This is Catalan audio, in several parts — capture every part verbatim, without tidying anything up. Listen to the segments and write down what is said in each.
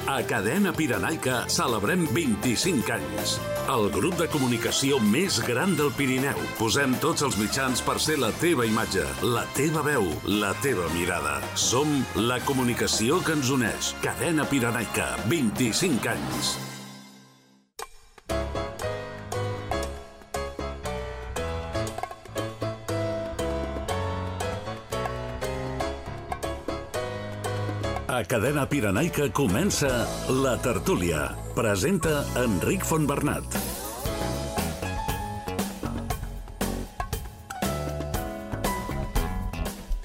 A Cadena Pirenaica celebrem vint-i-cinc anys. El grup de comunicació més gran del Pirineu. Posem tots els mitjans per ser la teva imatge, la teva veu, la teva mirada. Som la comunicació que ens uneix. Cadena Pirenaica, vint-i-cinc anys. A Cadena Pirenaica comença La Tertúlia. Presenta Enric Fontbernat.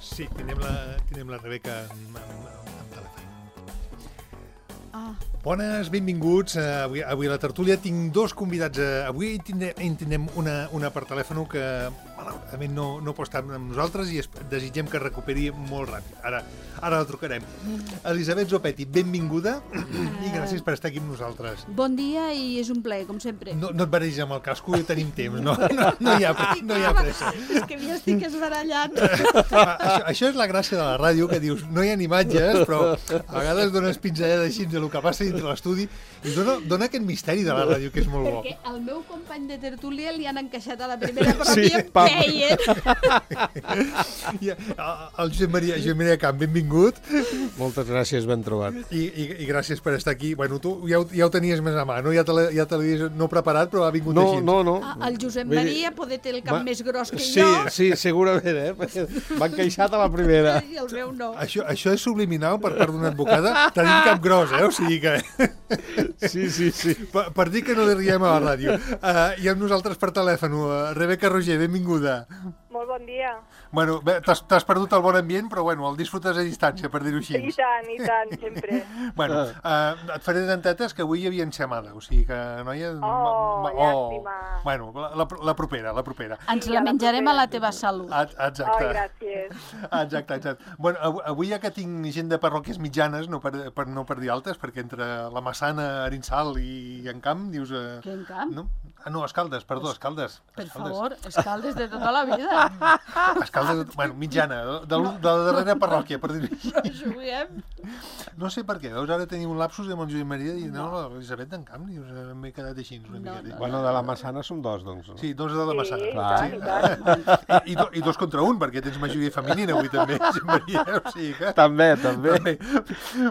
Sí, tenim la, tenim la Rebeca en, en, en telèfon. Ah. Bones, benvinguts. Uh, avui, avui a La Tertúlia tinc dos convidats. Uh, avui tindrem, en tindrem una, una per telèfon que malauradament no, no pot estar amb nosaltres i es, desitgem que recuperi molt ràpid. Ara, ara la trucarem. Elisabet Zopetti, benvinguda i gràcies per estar aquí amb nosaltres. Bon dia i és un plaer, com sempre. No, no et barregis amb el casco, ja tenim temps, no, no, no, hi, ha, no hi ha pressa. És que m'hi estic esbarallant. això, això és la gràcia de la ràdio, que dius, no hi ha imatges, però a vegades dones pinzellades així del que passa dintre l'estudi i dona, dona aquest misteri de la ràdio, que és molt bo. Perquè al meu company de tertúlia li han encaixat a la primera Sí, parròquia Peyer. I el Josep Maria, Josep Maria Camp, benvingut. Moltes gràcies, ben trobat. I, i, i gràcies per estar aquí. Bueno, tu ja ho, ja ho tenies més a mà, no? Ja te l'havies ja no preparat, però ha vingut no, així. No, no, no. El Josep Maria poder té el cap Va... més gros que sí, jo. Sí, segurament, eh? M'han queixat a la primera. I el meu no. Això, això és subliminal per part d'una advocada. Tenim cap gros, eh? O sigui que... Sí, sí, sí. Per, per dir que no li riem a la ràdio. Uh, I amb nosaltres per telèfon, uh, Rebeca Roger, benvinguda. Molt bon dia. Bueno, t'has perdut el bon ambient, però bueno, el disfrutes a distància, per dir-ho així. I tant, i tant, sempre. Bueno, uh, et faré dentetes que avui hi havia enxamada, o sigui que, noia... Oh, oh llàstima. Bueno, la, la, la propera, la propera. Ens la menjarem a la teva salut. Exacte. Oh, gràcies. Exacte, exacte. Bueno, avui ja que tinc gent de parròquies mitjanes, no per, per, no per dir altes, perquè entre la Massana, Arinsal i Encamp, dius... Uh, Què Encamp? No? Ah, no, Escaldes, perdó, Escaldes. Per Escaldes. favor, Escaldes de tota la vida. Escaldes, bueno, mitjana, de, de, de la darrera parròquia, per dir-ho així. Però juguem. No sé per què, veus, ara tenim un lapsus amb el Josep Maria i no, no l'Elisabet d'Encamp, dius, m'he quedat així una no, mica. No, bueno, de la Massana som dos, doncs. No? Sí, dos de la Massana. Sí, clar. Sí. I, i, do, I dos contra un, perquè tens majoria femenina avui també, Josep Maria, o sigui que... També, també. també.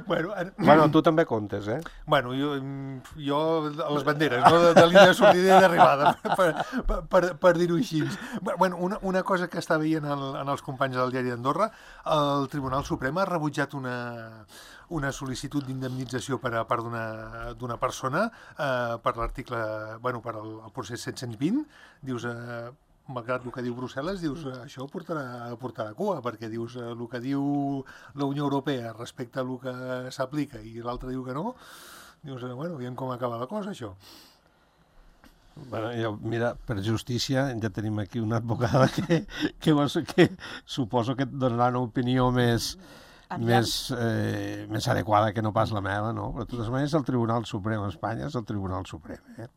Bueno, ara... bueno, tu també comptes, eh? Bueno, jo, jo a les banderes, no de, de línia de sortida i d'arribada, per, per, per, per dir-ho així. Bueno, una, una cosa que està veient el, en els companys del diari d'Andorra, el Tribunal Suprem ha rebutjat una, una sol·licitud d'indemnització per a part d'una persona eh, per l'article, bueno, per al, el procés set-cents vint, dius... Eh, malgrat el que diu Brussel·les, dius, això portarà, portarà cua, perquè dius el que diu la Unió Europea respecte a el que s'aplica i l'altre diu que no, dius, bueno, aviam com acaba la cosa, això. Bueno, jo, mira, per justícia ja tenim aquí una advocada que, que, que suposo que et donarà una opinió més, més, eh, més adequada que no pas la meva, no? Però de totes maneres el Tribunal Suprem a Espanya és el Tribunal Suprem, eh?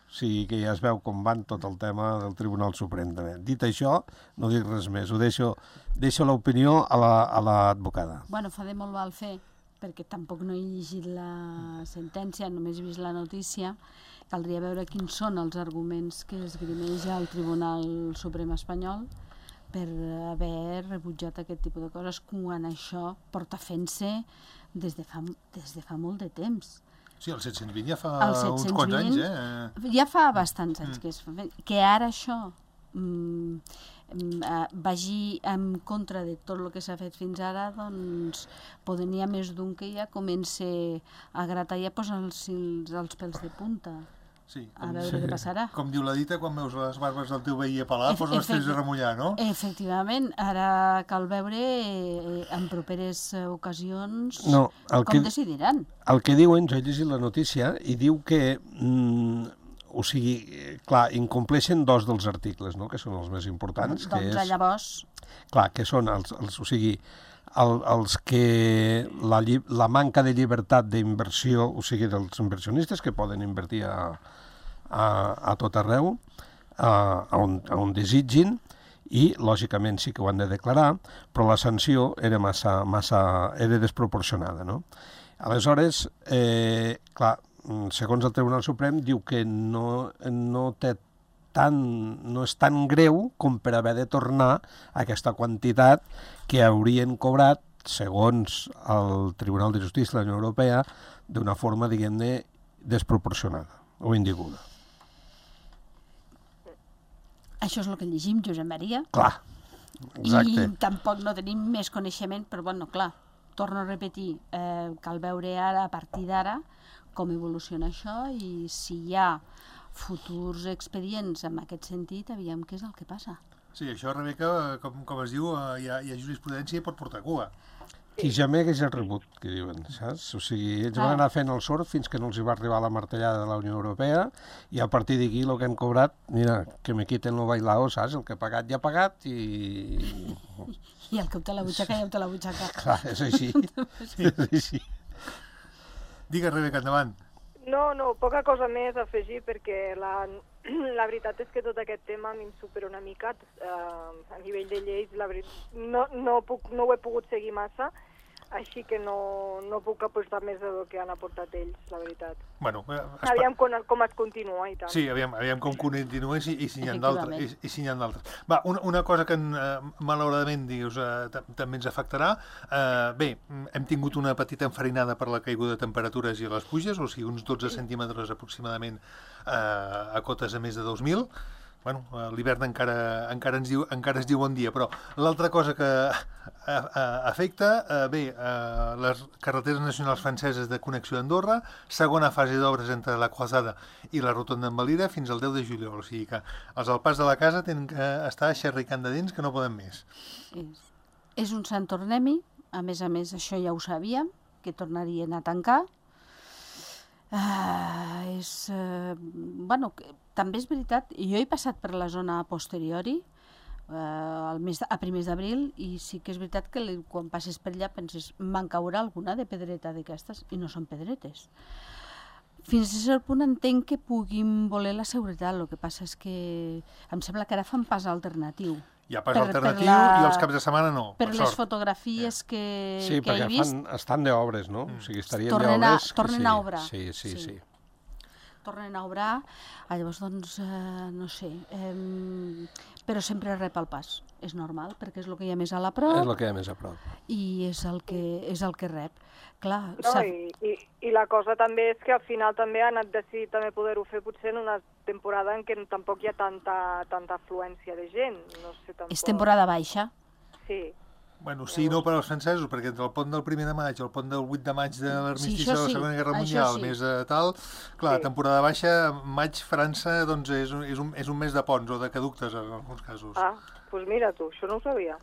O sigui que ja es veu com van tot el tema del Tribunal Suprem també. Dit això, no dic res més, ho deixo, deixo l'opinió a l'advocada. La, bueno, fa de molt mal fer, perquè tampoc no he llegit la sentència, només he vist la notícia. Caldria veure quins són els arguments que esgrimeix el Tribunal Suprem espanyol per haver rebutjat aquest tipus de coses quan això porta fent-se des de fa, des de fa molt de temps. Sí, el set-cents vint ja fa uns quants anys, eh? Ja fa bastants anys que es fa. Que ara això mm, vagi en contra de tot el que s'ha fet fins ara, doncs poden hi ha més d'un que ja comença a gratar i a posar els, els pèls de punta. Sí, a veure sí. Què passarà. Com diu la dita, quan veus les barbes del teu veí a pelar, e posa els fills a remullar, no? Efectivament, ara cal veure eh, en properes ocasions no, com que, decidiran. El que diuen, jo he llegit la notícia, i diu que, mm, o sigui, clar, incompleixen dos dels articles, no?, que són els més importants. Doncs que és, llavors... Clar, que són els, els o sigui, el, els que la, la manca de llibertat d'inversió, o sigui, dels inversionistes que poden invertir a, a, a tot arreu, a, a, on, a on desitgin, i, lògicament, sí que ho han de declarar, però la sanció era massa, massa era desproporcionada, no? Aleshores, eh, clar, segons el Tribunal Suprem, diu que no, no té tan, no és tan greu com per haver de tornar aquesta quantitat que haurien cobrat, segons el Tribunal de Justícia de la Unió Europea, d'una forma, diguem-ne, desproporcionada o indeguda. Això és el que llegim, Josep Maria. Clar, exacte. I tampoc no tenim més coneixement, però, bueno, clar, torno a repetir, eh, cal veure ara, a partir d'ara, com evoluciona això i si hi ha futurs expedients en aquest sentit, aviam què és el que passa. Sí, això, Rebeca, com, com es diu, hi ha, hi ha jurisprudència i pot portar cua. Qui gemega és el rebut, que diuen, saps? O sigui, ells van anar fent el sort fins que no els hi va arribar la martellada de la Unió Europea i a partir d'aquí el que hem cobrat, mira, que me quiten lo bailao, saps? El que ha pagat ja ha pagat i... I el que ho té la butxaca ja ho té la butxaca. Clar, és així. És així. Digues, Rebeca, endavant. No, no, poca cosa més a afegir perquè la, la veritat és que tot aquest tema a mi em supera una mica eh, a nivell de lleis, la veritat, no, no, puc, no ho he pogut seguir massa, així que no, no puc apostar més del que han aportat ells, la veritat. Bueno, eh, aviam com, com es continua i tal. Sí, aviam, aviam com continua i, i si n'hi ha d'altres. I, i si n'hi ha d'altres. Va, una, una cosa que eh, malauradament dius, eh, també ens afectarà. Eh, bé, hem tingut una petita enfarinada per la caiguda de temperatures i les pluges, o sigui, uns dotze centímetres aproximadament eh, a cotes a més de dos mil. Bueno, l'hivern encara, encara, ens diu, encara es diu bon dia, però l'altra cosa que a, a, afecta, eh, bé, eh, les carreteres nacionals franceses de connexió d'Andorra, segona fase d'obres entre la Croisada i la Rotonda en Valira fins al deu de juliol, o sigui que els al pas de la casa tenen que estar xerricant de dents que no poden més. És, és un Sant Tornem-hi, a més a més això ja ho sabíem, que tornarien a tancar. Uh, és, uh, bueno, també és veritat, jo he passat per la zona a posteriori, uh, al mes, a primers d'abril, i sí que és veritat que li, quan passes per allà penses, me'n caurà alguna de pedreta d'aquestes, i no són pedretes. Fins a cert punt entenc que puguin voler la seguretat, el que passa és que em sembla que ara fan pas alternatiu. Hi ha pas per, alternatiu per la... i els caps de setmana no, per, per les sort. Fotografies que, sí, que he vist. Sí, perquè estan d'obres, no? Mm. O sigui, estarien tornen d'obres... A, tornen sí. a obrar. Sí, sí, sí. sí. Tornen a obrar, llavors, doncs, eh, no sé, eh, però sempre rep el pas. És normal, perquè és el que hi ha més a la prop. És el que hi ha més a prop. I és el que, és el que rep. Clar, no, i, i, I la cosa també és que al final també han decidit també poder-ho fer potser en una temporada en què tampoc hi ha tanta, tanta afluència de gent. No sé, tampoc... És temporada baixa. Sí. Bueno, sí, no per als francesos, perquè entre el pont del primer de maig, el pont del vuit de maig de l'armistici sí, de la sí, Segona Guerra Mundial, sí. més eh, tal, clar, sí. temporada baixa, maig, França, doncs és, és, un, és un mes de ponts o de caductes en alguns casos. Ah, doncs pues mira tu, això no ho sabia.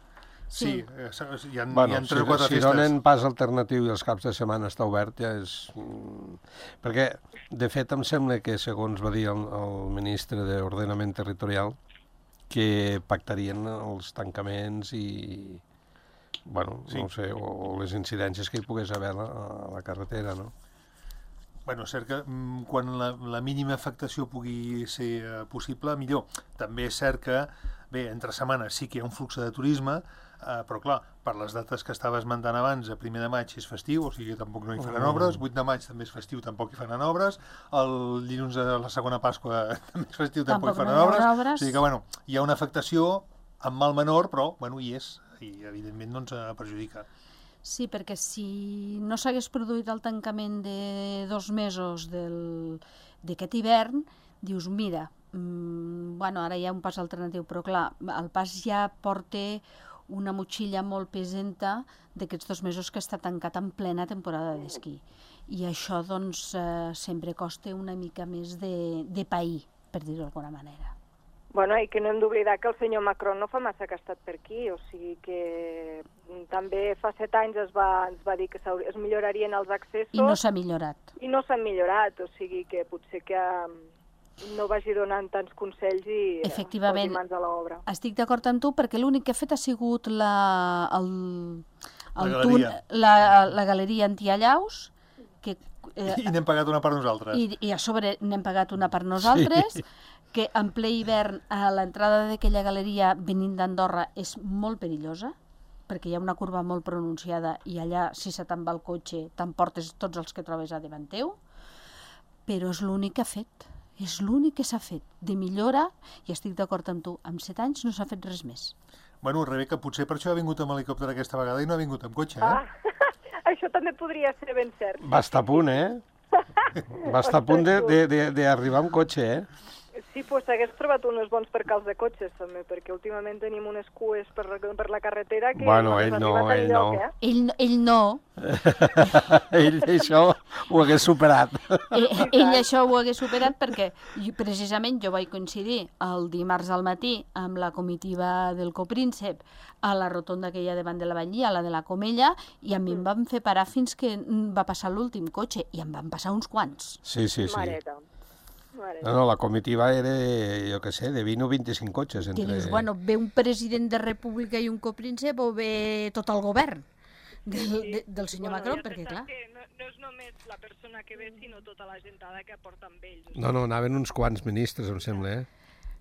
Sí, sí eh, hi ha, bueno, hi ha tres o si, quatre si festes. Si donen pas alternatiu i els caps de setmana està obert, ja és... Perquè, de fet, em sembla que, segons va dir el, el ministre d'Ordenament Territorial, que pactarien els tancaments i... Bueno, sí. no sé, o, o les incidències que hi pogués haver a la, a la carretera, no? Bueno, és cert que mm, quan la, la mínima afectació pugui ser eh, possible, millor. També és cert que, bé, entre setmanes sí que hi ha un flux de turisme, eh, però clar, per les dates que estava esmentant abans, a primer de maig és festiu, o sigui que tampoc no hi faran oh. obres, vuit de maig també és festiu, tampoc hi faran obres, el dilluns de la segona Pasqua també és festiu, tampoc, tampoc hi faran no obres. obres, o sigui que, bueno, hi ha una afectació amb mal menor, però, bueno, hi és, i evidentment no ens perjudica. Sí, perquè si no s'hagués produït el tancament de dos mesos d'aquest hivern, dius, mira, mmm, bueno, ara hi ha un pas alternatiu, però clar, el pas ja porta una motxilla molt pesenta d'aquests dos mesos que està tancat en plena temporada d'esquí. I això, doncs, eh, sempre costa una mica més de, de pair, per dir-ho d'alguna manera. Bueno, i que no hem d'oblidar que el senyor Macron no fa massa que ha estat per aquí, o sigui que també fa set anys es va, es va dir que es millorarien els accessos... I no s'ha millorat. I no s'han millorat, o sigui que potser que no vagi donant tants consells i efectivament, posi mans a l'obra. Estic d'acord amb tu, perquè l'únic que ha fet ha sigut la, el, el la, tun, galeria. la, la galeria antiallaus, que... Eh, I n'hem pagat una per nosaltres. I, i a sobre n'hem pagat una per nosaltres, sí. que en ple hivern a l'entrada d'aquella galeria venint d'Andorra és molt perillosa, perquè hi ha una curva molt pronunciada i allà, si se te'n va el cotxe, t'emportes tots els que trobes a davant teu, però és l'únic que ha fet. És l'únic que s'ha fet de millora, i estic d'acord amb tu, amb set anys no s'ha fet res més. Bueno, Rebeca, potser per això ha vingut amb helicòpter aquesta vegada i no ha vingut amb cotxe, eh? Ah, això també podria ser ben cert. Va estar a punt, eh? Va estar a punt d'arribar amb cotxe, eh? Sí, doncs hagués trobat uns bons percals de cotxes, també, perquè últimament tenim unes cues per, per la carretera que... Bueno, ell no, ell no. Lloc, eh? Ell, ell no. Ell això ho hagués superat. Ell, ell això ho hagués superat perquè precisament jo vaig coincidir el dimarts al matí amb la comitiva del Copríncep a la rotonda que hi ha davant de la Batllia, la de la Comella, i a mi em van fer parar fins que va passar l'últim cotxe, i em van passar uns quants. Sí, sí, sí. Mareta. No, no, la comitiva era, jo què sé, de vint o vint-i-cinc cotxes. Entre... Que dius, bueno, ve un president de república i un copríncep o ve tot el govern del, de, del senyor bueno, Macron, ja perquè clar... Que no, no és només la persona que ve, sinó tota la gentada que aporta amb ells. No, no, anaven uns quants ministres, em sembla, eh?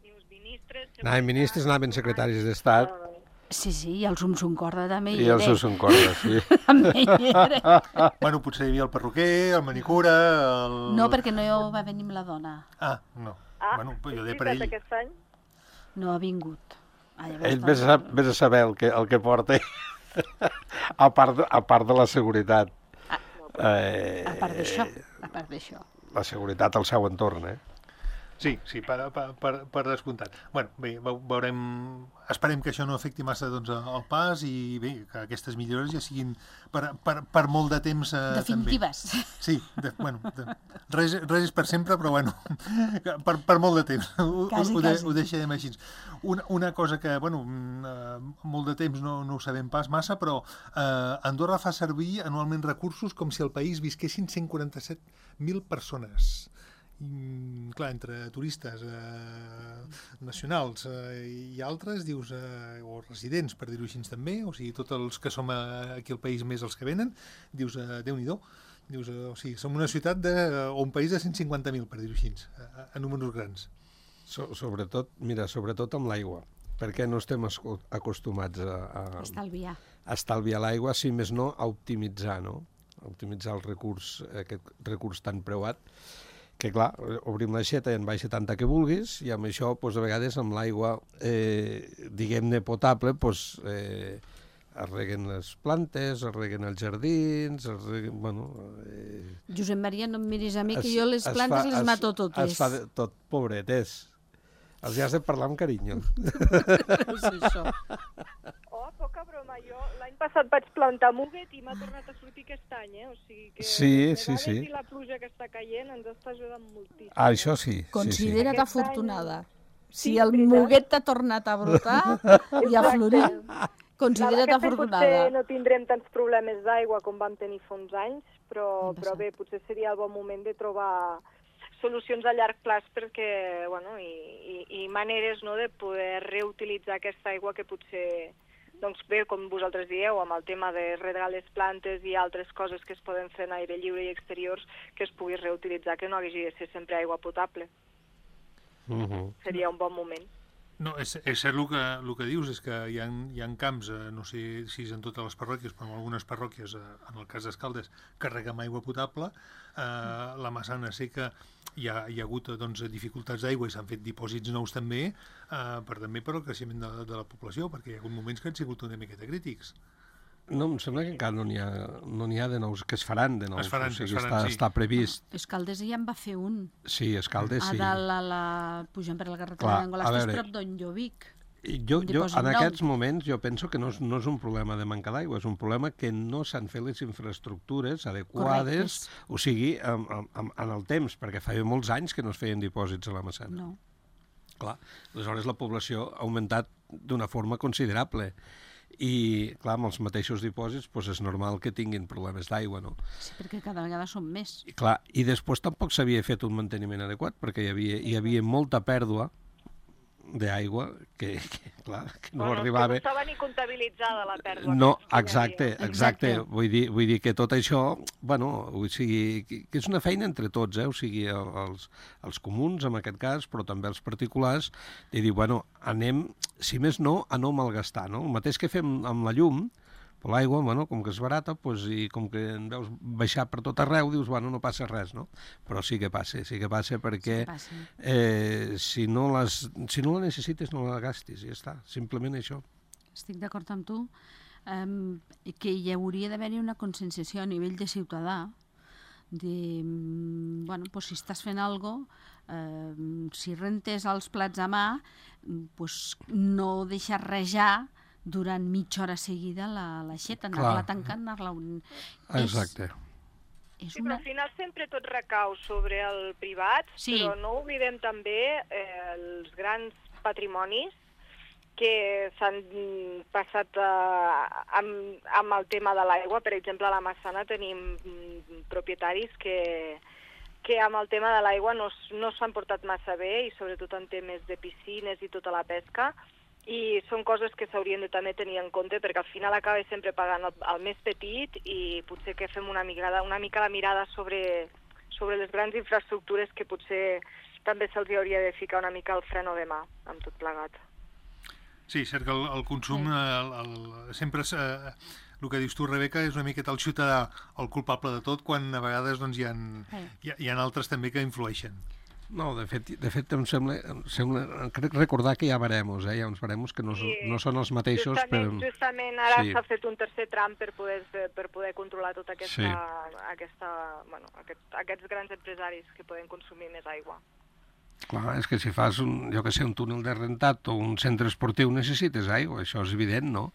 I uns ministres... Anaven ministres, anaven secretaris d'Estat. Sí, sí, i el Sum Sum Corda també hi I el era. Sum Sum Corda, sí. També hi era. Bueno, potser hi havia el perruquer, el manicura... El... No, perquè no va venir amb la dona. Ah, no. Ah, Bueno, jo és deia per ell. veritat, aquest any? No ha vingut. Ah, Ell vés a, vés a saber el que, el que porta, a part, de, a part de la seguretat. Eh, A part d'això, a part d'això. La seguretat al seu entorn, eh? Sí, sí, per, per, per, per descomptat. Bueno, bé, veurem... Esperem que això no afecti massa doncs, el pas i bé, que aquestes millores ja siguin per, per, per molt de temps eh, Definitives. també. Sí, de, bueno, de, res, res és per sempre, però bueno, per, per molt de temps. Ho, Quasi, ho, de, quasi. ho deixarem així. Una, una cosa que, bueno, eh, molt de temps no, no ho sabem pas massa, però eh, Andorra fa servir anualment recursos com si al país visquessin cent quaranta-set mil persones. I, clar, entre turistes eh, nacionals eh, i altres, dius, eh, o residents, per dir-ho així també, o sigui, tots els que som eh, aquí al país més els que venen, dius, eh, Déu-n'hi-do, dius, eh, o sigui, som una ciutat de, o un país de cent cinquanta mil, per dir-ho així, a, a números grans. So, sobretot, mira, sobretot amb l'aigua, perquè no estem acostumats a, a, Estalviar. a estalviar l'aigua, si més no, a optimitzar, no? A optimitzar el recurs, aquest recurs tan preuat, que clar, obrim l'aixeta i en baixa tanta que vulguis, i amb això, doncs, a vegades, amb l'aigua, eh, diguem-ne, potable, doncs, eh, es reguen les plantes, es reguen els jardins, es reguen, bueno... Eh, Josep Maria, no em miris a mi, que es, jo les plantes fa, les es, mato totes. Es fa de, tot, pobretes. Els has de parlar amb carinyo. És això. Oh, poca broma, jo l'any passat vaig plantar muguet i m'ha tornat a sortir aquest any, eh? O sigui que Sí, les sí, sí. i la pluja que està caient ens està ajudant moltíssim. Ah, això sí. Considera't sí. afortunada. Si Sí, el veritat. muguet t'ha tornat a brotar i a florir, considera't Aquest any afortunada. potser no tindrem tants problemes d'aigua com vam tenir fa uns anys, però, No passa. però bé, potser seria el bon moment de trobar solucions a llarg plaç perquè, bueno, i, i, i maneres, no, de poder reutilitzar aquesta aigua que potser, doncs bé, com vosaltres dieu, amb el tema de regar les plantes i altres coses que es poden fer en aire lliure i exteriors, que es pugui reutilitzar, que no hagi de ser sempre aigua potable. Uh -huh. Seria un bon moment. No, és, és cert el que, el que dius, és que hi ha, hi ha camps, eh, no sé si és en totes les parròquies, però en algunes parròquies, eh, en el cas d'Escaldes, carreguem aigua potable, eh, la Massana sé que hi ha, hi ha hagut doncs, dificultats d'aigua i s'han fet dipòsits nous també, eh, per també per al creixement de, de la població, perquè hi ha hagut moments que han sigut una miqueta crítics. No, em sembla que encara no n'hi ha, no n'hi ha de nous, que es faran de nous. Es faran, o sigui, es faran, està, sí. està previst. Escaldes ja en va fer un. Sí, Escaldes, A sí. dalt, a la... pujant per la carretera Clar, d'Angola, a estàs veure, prop d'on jo vic. I Jo, Un jo, dipòsit en nou. aquests moments, jo penso que no és, no és un problema de manca d'aigua, és un problema que no s'han fet les infraestructures adequades, Correctes. o sigui, en, en, en el temps, perquè feia molts anys que no es feien dipòsits a la Massana. No. Clar, aleshores la població ha augmentat d'una forma considerable. I, clar, amb els mateixos dipòsits doncs és normal que tinguin problemes d'aigua, no? Sí, perquè cada vegada són més. I, clar, i després tampoc s'havia fet un manteniment adequat, perquè hi havia, hi havia molta pèrdua d'aigua que, que, clar, que no bueno, arribava... Que no estava ni comptabilitzada la pèrdua. No, que exacte, exacte. Vull dir, vull dir que tot això, bueno, o sigui, que és una feina entre tots, eh? O sigui, els, els comuns, en aquest cas, però també els particulars, de dir, bueno, anem, si més no, a no malgastar, no? El mateix que fem amb la llum, però l'aigua, bueno, com que és barata, doncs, i com que en veus baixar per tot arreu, dius, bueno, no passa res, no? Però sí que passa, sí que passa perquè sí que passa. Eh, si, no les, si no la necessites, no la gastis, i ja està, simplement això. Estic d'acord amb tu, um, que hi hauria d'haver-hi una conscienciació a nivell de ciutadà, de, bueno, pues, si estàs fent alguna cosa, eh, si rentes els plats a mà, pues, no deixar rejar durant mitja hora seguida la l'aixeta, anar-la tancant, anar-la... Un... Exacte. És, és sí, una... però al final sempre tot recau sobre el privat, sí. Però no oblidem també eh, els grans patrimonis que s'han passat eh, amb, amb el tema de l'aigua. Per exemple, a la Massana tenim mm, propietaris que, que amb el tema de l'aigua no, no s'han portat massa bé, i sobretot en temes de piscines i tota la pesca, i són coses que s'haurien de també tenir en compte, perquè al final acaba sempre pagant el, el més petit, i potser que fem una mica, una mica la mirada sobre, sobre les grans infraestructures, que potser també se'ls hauria de ficar una mica el freno de mà amb tot plegat. Sí, cert que el, el consum, sí. el, el, sempre eh, el que dius tu, Rebeca, és una miqueta el ciutadà el culpable de tot, quan a vegades doncs, hi, ha, sí. hi, ha, hi ha altres també que influeixen. No, de fet, de fet em sembla, em sembla, crec recordar que hi ha baremos, eh? Hi ha uns baremos que no, sí. no són els mateixos. Justament, però... justament ara sí. s'ha fet un tercer tram per poder, per poder controlar tota aquesta, sí. aquesta, bueno, aquest, aquests grans empresaris que poden consumir més aigua. Clar, és que si fas un, jo que sé, un túnel de rentat o un centre esportiu necessites aigua, això és evident, no?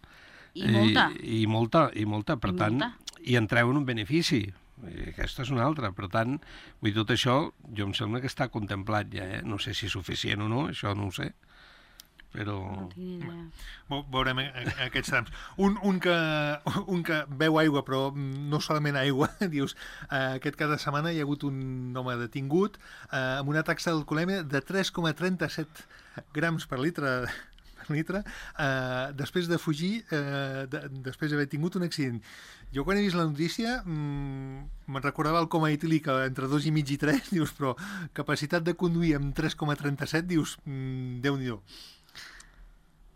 I molta. I, i molta, i molta, per I tant, molta. i en treuen un benefici. I aquesta és una altra, per tant, vull dir, tot això, jo em sembla que està contemplat ja, eh? No sé si és suficient o no, això no ho sé, però... No veurem aquests trams. Un, un, que, un que beu aigua, però no solament aigua, dius, eh, aquest cada setmana hi ha hagut un home detingut eh, amb una taxa d'alcoholèmia de tres coma trenta-set grams per litre, per litre eh, després de fugir, eh, de, després d'haver tingut un accident. Jo quan he vist la notícia mmm, me'n recordava el coma etílic entre dos i mig i tres, dius, però capacitat de conduir amb tres coma trenta-set, dius, mmm, Déu-n'hi-do.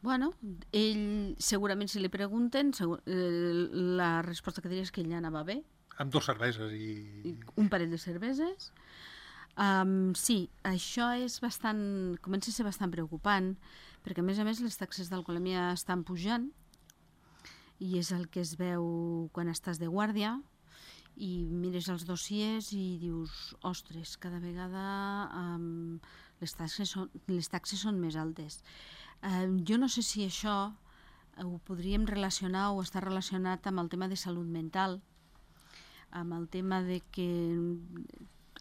Bueno, ell, segurament si li pregunten, segur, eh, la resposta que diria és que ell anava bé. Amb dos cerveses i... I un parell de cerveses. Um, sí, això és bastant, comença a ser bastant preocupant, perquè a més a més les taxes d'alcoholèmia estan pujant, i és el que es veu quan estàs de guàrdia i mires els dossiers i dius, ostres, cada vegada um, les, taxes són, les taxes són més altes. Um, jo no sé si això ho podríem relacionar o està relacionat amb el tema de salut mental, amb el tema de que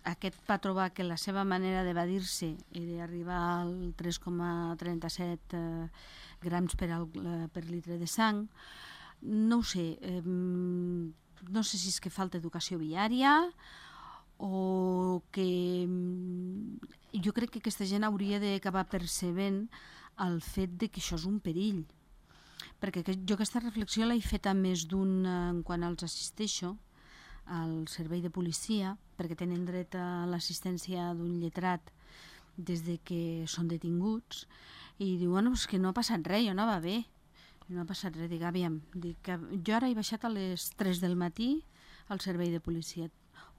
aquest va trobar que la seva manera d'evadir-se era arribar al tres coma trenta-set eh, grams per, al, per litre de sang. No ho sé, eh, no sé si és que falta educació viària o que jo crec que aquesta gent hauria d'acabar percebent el fet de que això és un perill. Perquè jo aquesta reflexió l'he fet a més d'un en quan els assisteixo al servei de policia, perquè tenen dret a l'assistència d'un lletrat des de que són detinguts, i diu, bueno, és que no ha passat res, jo anava bé. No ha passat res, dic, aviam, dic, jo ara he baixat a les tres del matí al servei de policia,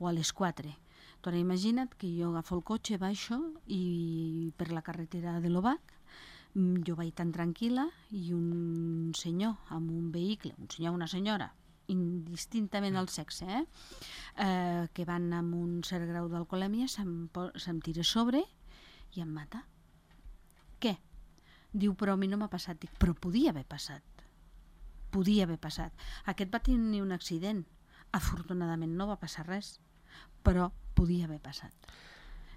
o a les quatre. Tu ara imagina't que jo agafo el cotxe, baixo, i per la carretera de l'Obac, jo vaig tan tranquil·la, i un senyor amb un vehicle, un senyor o una senyora, indistintament el sexe, eh? Eh, que van amb un cert grau d'alcoholèmia, se'm, se'm tira a sobre i em mata. Què? Diu, però a mi no m'ha passat. Dic, però podia haver passat. Podia haver passat. Aquest va tenir un accident. Afortunadament no va passar res, però podia haver passat.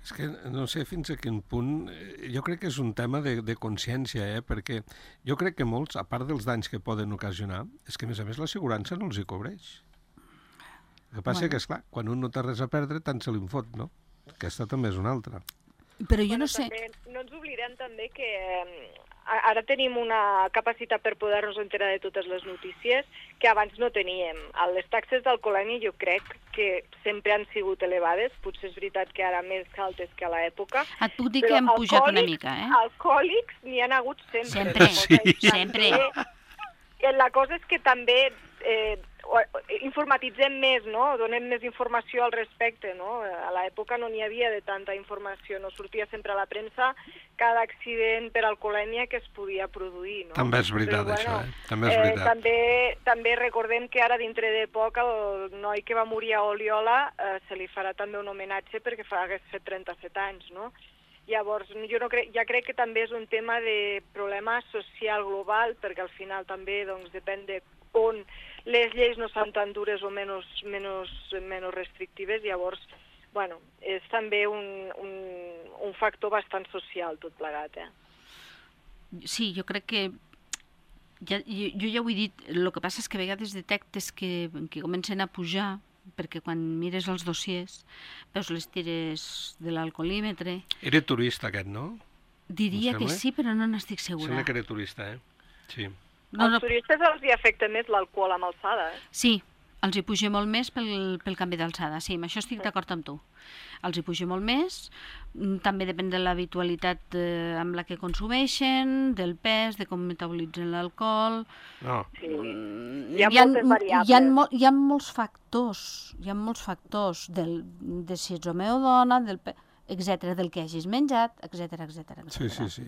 És que no sé fins a quin punt... Jo crec que és un tema de, de consciència, eh? Perquè jo crec que molts, a part dels danys que poden ocasionar, és que a més a més l'assegurança no els hi cobreix. El que passa bueno. que, esclar, quan un no té res a perdre, tant se li en fot, no? Aquesta també és una altra. Però jo Bueno, no sé... també, no ens oblidem també que eh, ara tenim una capacitat per poder-nos enterar de totes les notícies que abans no teníem. Les taxes d'alcoholèmia jo crec que sempre han sigut elevades, potser és veritat que ara més altes que a l'època. Et puc dir que hem pujat una mica, eh? Alcohòlics n'hi han hagut sempre. Sempre, sí. sempre. També, la cosa és que també eh, informatitzem més, no? Donem més informació al respecte, no? A l'època no n'hi havia de tanta informació, no sortia sempre a la premsa cada accident per alcoholèmia que es podia produir, no? També és veritat, Però, això, bueno, eh? També és veritat. Eh, també, també recordem que ara, dintre de poc, el noi que va morir a Oliola eh, se li farà també un homenatge perquè fa, hagués fet trenta-set anys, no? Llavors, jo no crec, ja crec que també és un tema de problema social global, perquè al final també doncs, depèn de on les lleis no són tan dures o menys, menys, menys restrictives, llavors, bueno, és també un, un, un factor bastant social tot plegat, eh? Sí, jo crec que ja, jo, jo ja ho he dit, el que passa és que a vegades detectes que, que comencen a pujar, perquè quan mires els dossiers veus les tires de l'alcoholímetre. Era turista aquest, no? Diria que sí, però no n'estic segura. Sembla que era turista, eh? Sí. No, no. Als turistes els hi afecta més l'alcohol amb alçada, eh? Sí, els hi puja molt més pel, pel canvi d'alçada, sí, amb això estic d'acord amb tu. Els hi puja molt més, també depèn de l'habitualitat eh, amb la que consumeixen, del pes, de com metabolitzen l'alcohol... No. Sí. Mm, hi ha, hi ha moltes variables. Hi ha, mo hi ha molts factors, hi ha molts factors del, de si ets home o dona, del etcètera, del que hagis menjat, etcètera, etcètera. Sí, sí, sí.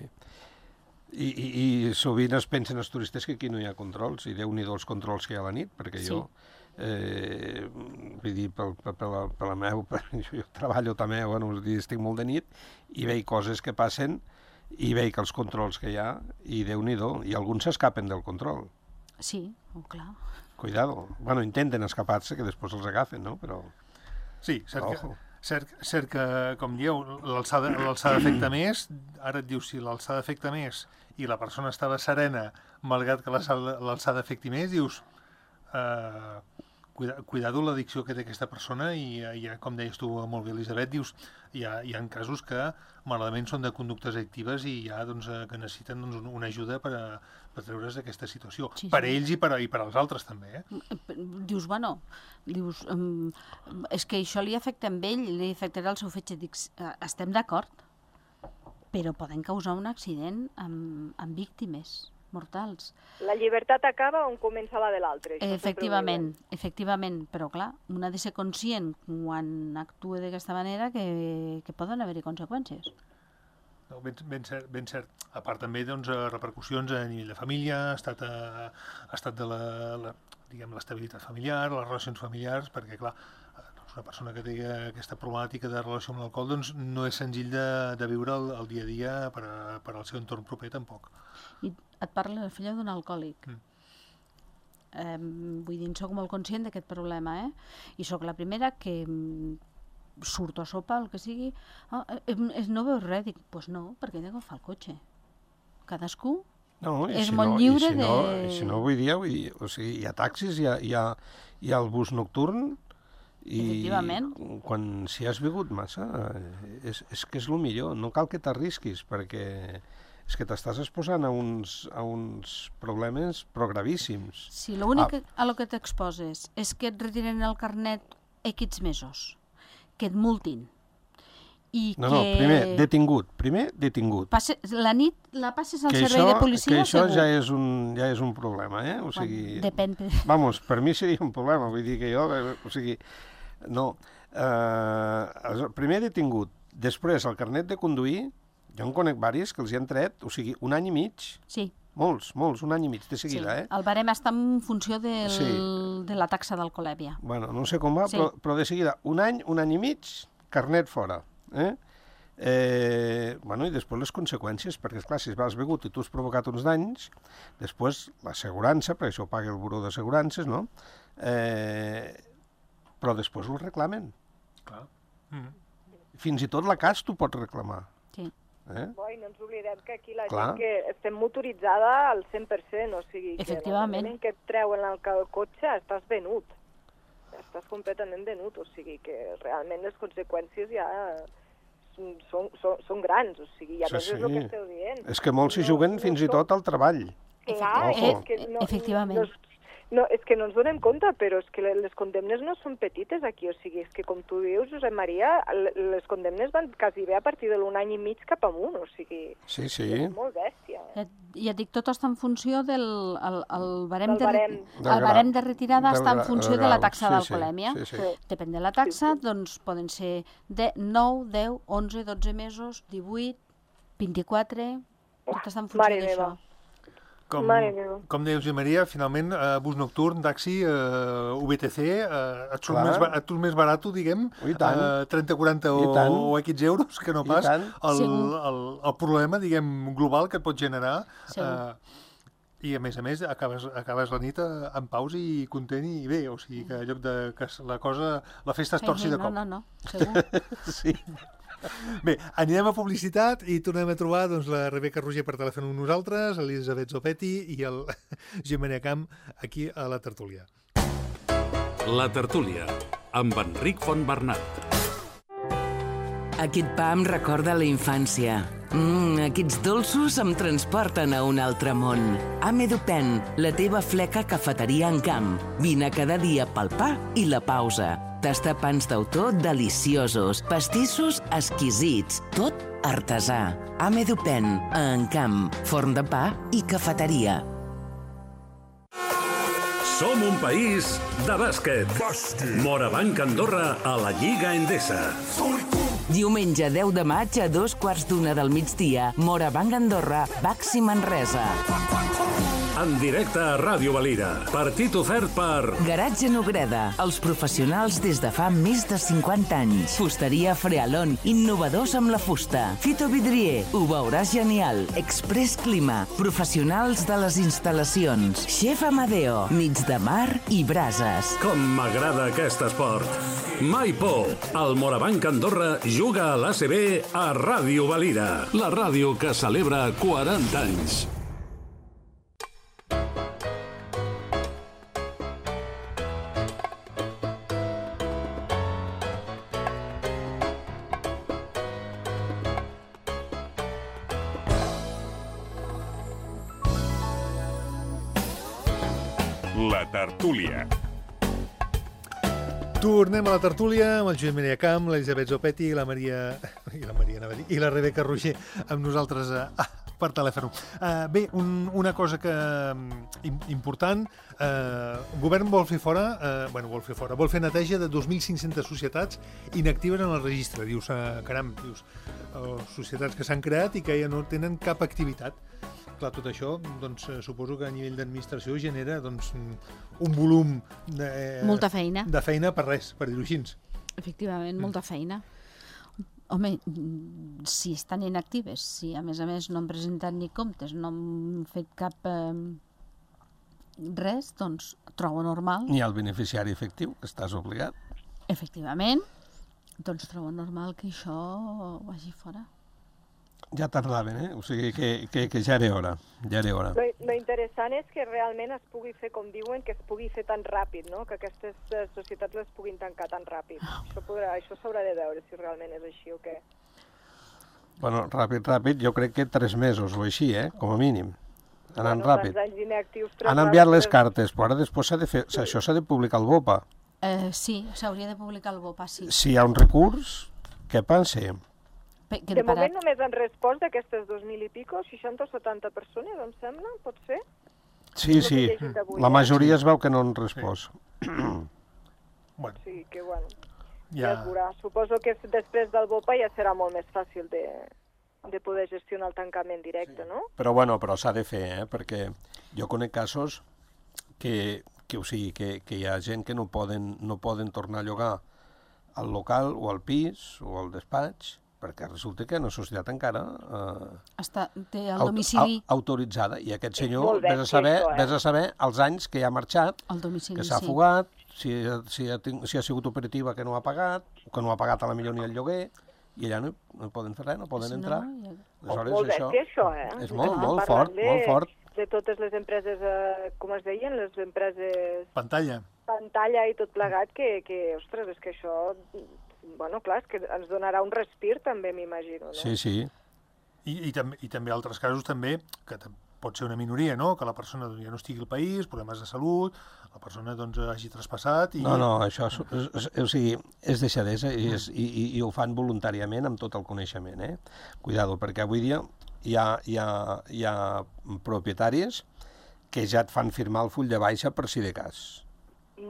I, i, i sovint es pensen els turistes que aquí no hi ha controls, i Déu-n'hi-do els controls que hi ha a la nit, perquè Sí. jo, eh, vull dir, per, per, per, la, per la meu, per, jo, jo treballo també, bueno, estic molt de nit, i veig coses que passen, i veig els controls que hi ha, i Déu-n'hi-do, i alguns s'escapen del control. Sí, oh, clar. Cuidado. Bueno, intenten escapar-se, que després els agafen, no? Però... Sí, cert que, Ojo. cert, cert que com dieu, l'alçada afecta més, ara et dius si l'alçada afecta més i la persona estava serena, malgrat que l'alçada afecti més, dius, eh, cuida, cuidado l'addicció que té aquesta persona i, i com deies tu molt bé, Elisabet, dius, hi ha, hi ha casos que malament són de conductes addictives i hi ha, doncs, que necessiten doncs, una ajuda per, a, per treure's d'aquesta situació. Sí, sí. Per ells i per, i per als altres també, eh? Dius, bueno, dius, um, és que això li afecta a ell, li afectarà el seu fetge. Dic, estem d'acord, però poden causar un accident amb, amb víctimes mortals. La llibertat acaba on comença la de l'altre. Efectivament, efectivament, però clar, un ha de ser conscient quan actua d'aquesta manera que, que poden haver-hi conseqüències. No, ben, ben, cert, ben cert. A part també doncs, repercussions a nivell de família, ha estat, a, ha estat de la, la, diguem, l'estabilitat familiar, les relacions familiars, perquè clar, doncs una persona que té aquesta problemàtica de relació amb l'alcohol doncs, no és senzill de, de viure el, el dia a dia per, a, per al seu entorn proper tampoc. I et parla la filla d'un alcohòlic. Mm. Eh, vull dir, soc molt conscient d'aquest problema, eh? I sóc la primera que surto a sopar, el que sigui, oh, eh, no veus res, dic, doncs pues no, perquè he d'agafar el cotxe. Cadascú no, és si molt no, lliure si de... No, si no, vull dir, vull dir, o sigui, hi ha taxis, hi ha, hi ha, hi ha el bus nocturn, i quan si has begut massa, és, és que és el millor, no cal que t'arrisquis, perquè és que t'estàs exposant a uns, a uns problemes gravíssims. Sí, l'únic ah. a lo que t'exposes és que et retiren el carnet X mesos, que et multin. I no, que... no, primer detingut, primer detingut. Passe, la nit la passes al que servei això, de policia, que això segur. ja és, un, ja és un problema, eh? O sigui, bueno, depèn. Vamos, per mi seria un problema, vull dir que jo, o sigui, no, eh, primer detingut, després el carnet de conduir, jo en conec varis que els hi han tret, o sigui, un any i mig. Sí. Molts, molts, un any i mig de seguida, sí. eh? El barem està en funció del, sí. de la taxa d'alcoholèmia. Bueno, no sé com va, sí. però, però de seguida, un any, un any i mig, carnet fora. Eh? Eh, bueno, i després les conseqüències, perquè, esclar, si has begut i tu has provocat uns danys, després l'assegurança, perquè això ho paga el Buró d'Assegurances, no? Eh, però després ho reclamen. Clar. Mm. Fins i tot la C A S t'ho pots reclamar. Sí. Eh? Boi, no ens oblidem que aquí la Clar. gent que estem motoritzada al cent per cent, o sigui, que en el moment que et treuen el, el cotxe estàs venut. Estàs completament venut, o sigui que realment les conseqüències ja són, són, són grans, o sigui, i a Sí, més és el sí. que esteu dient. És que molts s'hi juguen fins i tot al treball. Clar, Ojo. és que no, Efectivament. No, no, és que no ens donem compte, però és que les condemnes no són petites aquí, o sigui, és que com tu dius, Josep Maria, les condemnes van quasi bé a partir de l'un any i mig cap amunt, o sigui, Sí, sí. és molt bèstia. Ja, ja et dic, tot està en funció del el, el barem, Del de, barem. el Del barem gra- de retirada del està en gra- funció del de la grau. taxa Sí, d'alcoholèmia. sí, sí. Sí. Depèn de la taxa, Sí, sí. doncs poden ser de nou, deu, onze, dotze mesos, divuit, vint-i-quatre, tot està en funció Mare d'això. meva. Com, Mare meva. com deia Josep Maria, finalment, eh, bus nocturn, taxi, eh, U B T C, eh, et surt Clar. més, ba- et surt més barat, diguem, I tant. eh, trenta, quaranta I o, tant. o X euros, que no I pas tant. el, Segur. el, el problema, diguem, global que et pot generar. Segur. Eh, I, a més a més, acabes, acabes la nit eh, en pausa i content i bé, o sigui que en lloc de que la cosa, la festa es torci de no, cop. no, no, segur. Sí. Bé, anirem a publicitat i tornem a trobar doncs, la Rebeca Roger per telèfon amb nosaltres, l'Elisabet Zopetti i el Josep Maria Camp aquí a la tertúlia. La tertúlia, amb Enric Fontbernat. Aquest pa em recorda la infància. Mm, aquests dolços em transporten a un altre món. Amedupen, la teva fleca cafeteria en camp. Vine cada dia pel pa i la pausa. Tastar pans d'autor deliciosos, pastissos exquisits, tot artesà. Amedupen, a Encamp, forn de pa i cafeteria. Som un país de bàsquet. Morabanc Andorra a la Lliga Endesa. Diumenge deu de maig a dos quarts d'una del migdia, Morabanc Andorra, Baxi Manresa. En directe a Ràdio Valira. Partit ofert per Garatge Nogreda, els professionals des de fa més de cinquanta anys. Fusteria Frealon, innovadors amb la fusta. Fito Vidrier, ho veuràs genial. Express Clima, professionals de les instal·lacions. Chef Amadeo, nits de mar i brases. Com m'agrada aquest esport. Mai por. El Morabanc Andorra juga a l'A C B a Ràdio Valira. La ràdio que celebra quaranta anys. La tertúlia. Tornem a la tertúlia amb el Josep Maria Camp, l'Elisabet Zopetti i la Maria... i la Maria, anava a dir, i la Rebeca Roger amb nosaltres eh, ah, per telèfon. Uh, bé, un, una cosa que im, important, uh, el govern vol fer fora, uh, bueno, vol fer fora, vol fer neteja de dos mil cinc-centes societats inactives en el registre. Dius, uh, caram, dius, uh, societats que s'han creat i que ja no tenen cap activitat. Clar, tot això, doncs, suposo que a nivell d'administració genera doncs, un volum de, eh, Molta feina. de feina per res, per dir-ho així. Efectivament, molta feina. Home, mm, si estan inactives, si a més a més no han presentat ni comptes, no han fet cap eh, res, doncs trobo normal, Ni el beneficiari efectiu, que estàs obligat. efectivament, doncs trobo normal que això vagi fora. Ja tardaven, eh? O sigui que, que, que ja era hora, ja era hora. Lo, lo interessant és que realment es pugui fer, com diuen, que es pugui fer tan ràpid, no? Que aquestes eh, societats les puguin tancar tan ràpid. Això podrà, això s'haurà de veure si realment és així o què. Bueno, ràpid, ràpid, jo crec que tres mesos o així, eh? Com a mínim. Anant Bueno, ràpid. tants anys inactius, tres Han enviat les ràpids, cartes, però ara després s'ha de fer... Això s'ha de publicar al BOPA. Eh, sí, s'hauria de publicar el BOPA, sí. Si hi ha un recurs, què pensa? Pe- De queda moment parat. només han respost d'aquestes dos mil i pico, seixanta o setanta persones, em sembla, pot ser? Sí, És el sí, que he llegit avui, la eh? majoria es veu que no han respost. Bueno, Sí, que bueno, ja, ja... es veurà. Suposo que després del BOPA ja serà molt més fàcil de, de poder gestionar el tancament directe, no? Però bueno, però s'ha de fer, eh? Perquè jo conec casos que, que, o sigui, que, que hi ha gent que no poden, no poden tornar a llogar al local o al pis o al despatx, perquè resulta que la societat encara eh, Està, té el aut- domicili, au- autoritzada, i aquest senyor, molt vés a, bèstia, saber, això, eh? vés a saber els anys que ja ha marxat, el domicili, que s'ha sí. fugat, si, si, ha, ting- si ha sigut operativa que no ha pagat, o que no ha pagat a la millor ni el lloguer, i allà no, no poden fer res, no poden Si no, entrar. ja- Aleshores, molt això bèstia, això, eh? és molt, Estem molt parlant fort, de- molt fort. de totes les empreses, eh, com es deien, les empreses... Pantalla. Pantalla i tot plegat, que, que, ostres, és que això... Bueno, clar, és que ens donarà un respir, també, m'imagino, no? Sí, sí. I, i, també, I també altres casos, també, que pot ser una minoria, no?, que la persona ja no estigui al país, problemes de salut, la persona doncs hagi traspassat... I... No, no, això és, és, és, o sigui, és deixadesa i, és, i, i, i ho fan voluntàriament amb tot el coneixement, eh? Cuidado, perquè avui dia hi ha, hi ha, hi ha propietaris que ja et fan firmar el full de baixa per si de cas.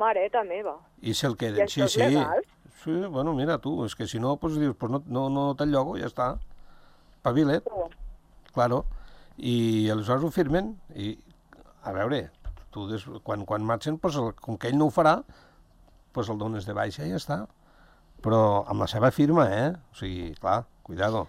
Mareta meva. I se'l queden, I sí, això és sí. legal? Sí, bueno, mira tu, és que si no, doncs dius, pues no, no, no te'l llogo, ja està. Pavilet, Oh. claro. I aleshores ho firmen i, a veure, tu des, quan, quan marxen, pues, el, com que ell no ho farà, pues el dones de baixa i ja està. Però amb la seva firma, eh? O sigui, clar, cuidado.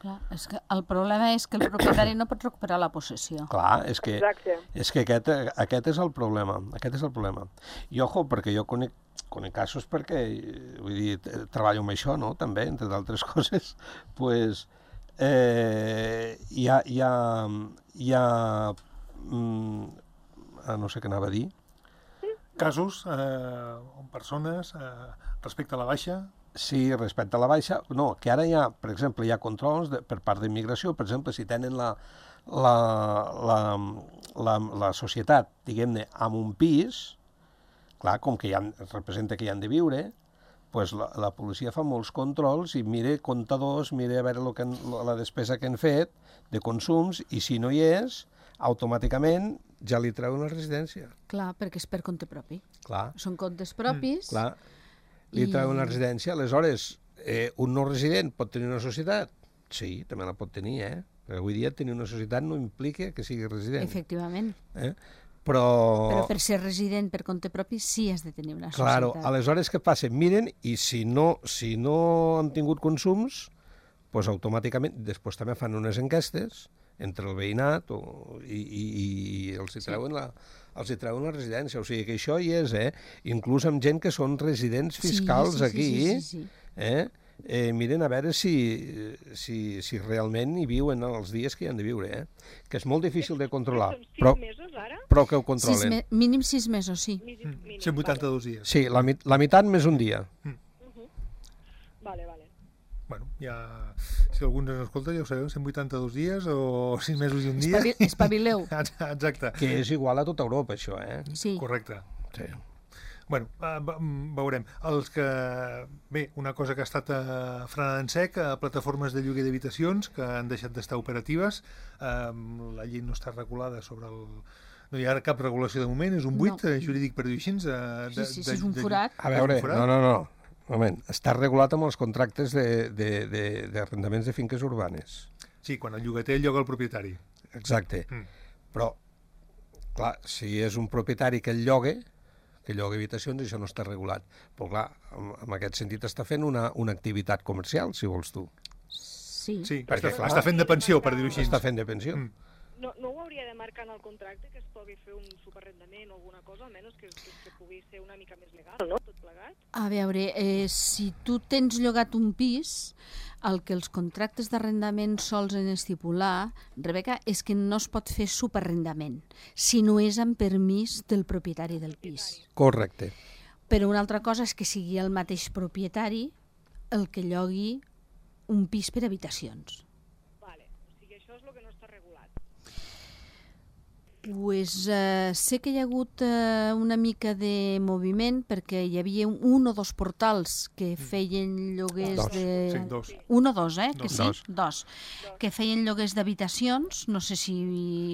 Clar, és que el problema és que el propietari no pot recuperar la possessió. Clar, és que, Exacte. és que aquest, aquest és el problema, aquest és el problema. I ojo, perquè jo conec, conec casos perquè, vull dir, treballo amb això, no?, també, entre d'altres coses, pues, eh, hi ha, hi ha, hi ha mm, no sé què anava a dir. Casos eh, on persones, eh, respecte a la baixa... Sí, respecte a la baixa, no, que ara hi ha, per exemple, hi ha controls de, per part d'immigració, per exemple, si tenen la, la, la, la, la societat, diguem-ne, amb un pis, clar, com que hi ha, representa que hi han de viure, pues la, la policia fa molts controls i mire comptadors, mire a veure lo que han, la despesa que han fet de consums, i si no hi és, automàticament ja li treuen la residència. Clar, perquè és per compte propi. Clar. Són comptes propis. Mm, clar. Li I- treuen la residència, aleshores, eh, un no resident pot tenir una societat? Sí, també la pot tenir, eh? Perquè avui dia tenir una societat no implica que sigui resident. Efectivament. Eh? Però... Però per ser resident per compte propi sí has de tenir una Claro, societat. aleshores què passa? Miren, i si no, si no han tingut consums, pues automàticament, després també fan unes enquestes entre el veïnat o, i, i, i els hi treuen la... els hi treuen la residència, o sigui que això hi és, eh? Inclús amb gent que són residents fiscals sí, sí, aquí, sí, sí, sí. eh? Eh, miren a veure si, si, si realment hi viuen els dies que hi han de viure, eh? Que és molt difícil de controlar, Són sis però, mesos, ara? però que ho Sis controlen. me mínim sis mesos, sí. Mínim, mínim, cent vuitanta-dos dies. Sí, la, mit- la meitat més un dia. Vale, vale. Bueno, ja... Si algú ens escolta, ja ho sabeu, cent vuitanta-dos dies o sis mesos i un dia. Espavi- espavileu. Exacte. Que és igual a tota Europa, això, eh? Sí. Correcte. Sí. Bueno, eh, ve- veurem. Els que... Bé, una cosa que ha estat eh, frenada en sec, eh, plataformes de lloguer d'habitacions que han deixat d'estar operatives. Eh, la llei no està regulada sobre el... No hi ha cap regulació de moment, és un buit No. eh, jurídic, per dir-ho així. eh, Sí, sí, sí, és un forat. A veure, És un forat? no, no, no. Un moment, està regulat amb els contractes d'arrendaments de, de, de, d'arrendaments de finques urbanes. Sí, quan el llogater lloga el propietari. Exacte. Mm. Però, clar, si és un propietari que el llogue, que lloga habitacions, això no està regulat. Però, clar, en, en aquest sentit està fent una, una activitat comercial, si vols tu. Sí. Sí, Perquè, està, clar, està fent de pensió, per dir-ho així. Està fent de pensió. Mm. No, no ho hauria de marcar en el contracte que es pugui fer un superarrendament o alguna cosa, almenys que, que, que pugui ser una mica més legal, no? Tot plegat. A veure, eh, si tu tens llogat un pis, el que els contractes d'arrendament sols en estipular, Rebeca, és que no es pot fer superarrendament, si no és amb permís del propietari del pis. Correcte. Però una altra cosa és que sigui el mateix propietari el que llogui un pis per habitacions. Vale, o sigui, això és el que no està regulat. Pues, eh, sé que hi ha hagut eh, una mica de moviment perquè hi havia un, un o dos portals que feien lloguers Dos. de... Sí, dos. Un o dos, eh? Que Dos. sí? Dos. Dos. Que feien lloguers d'habitacions, no sé si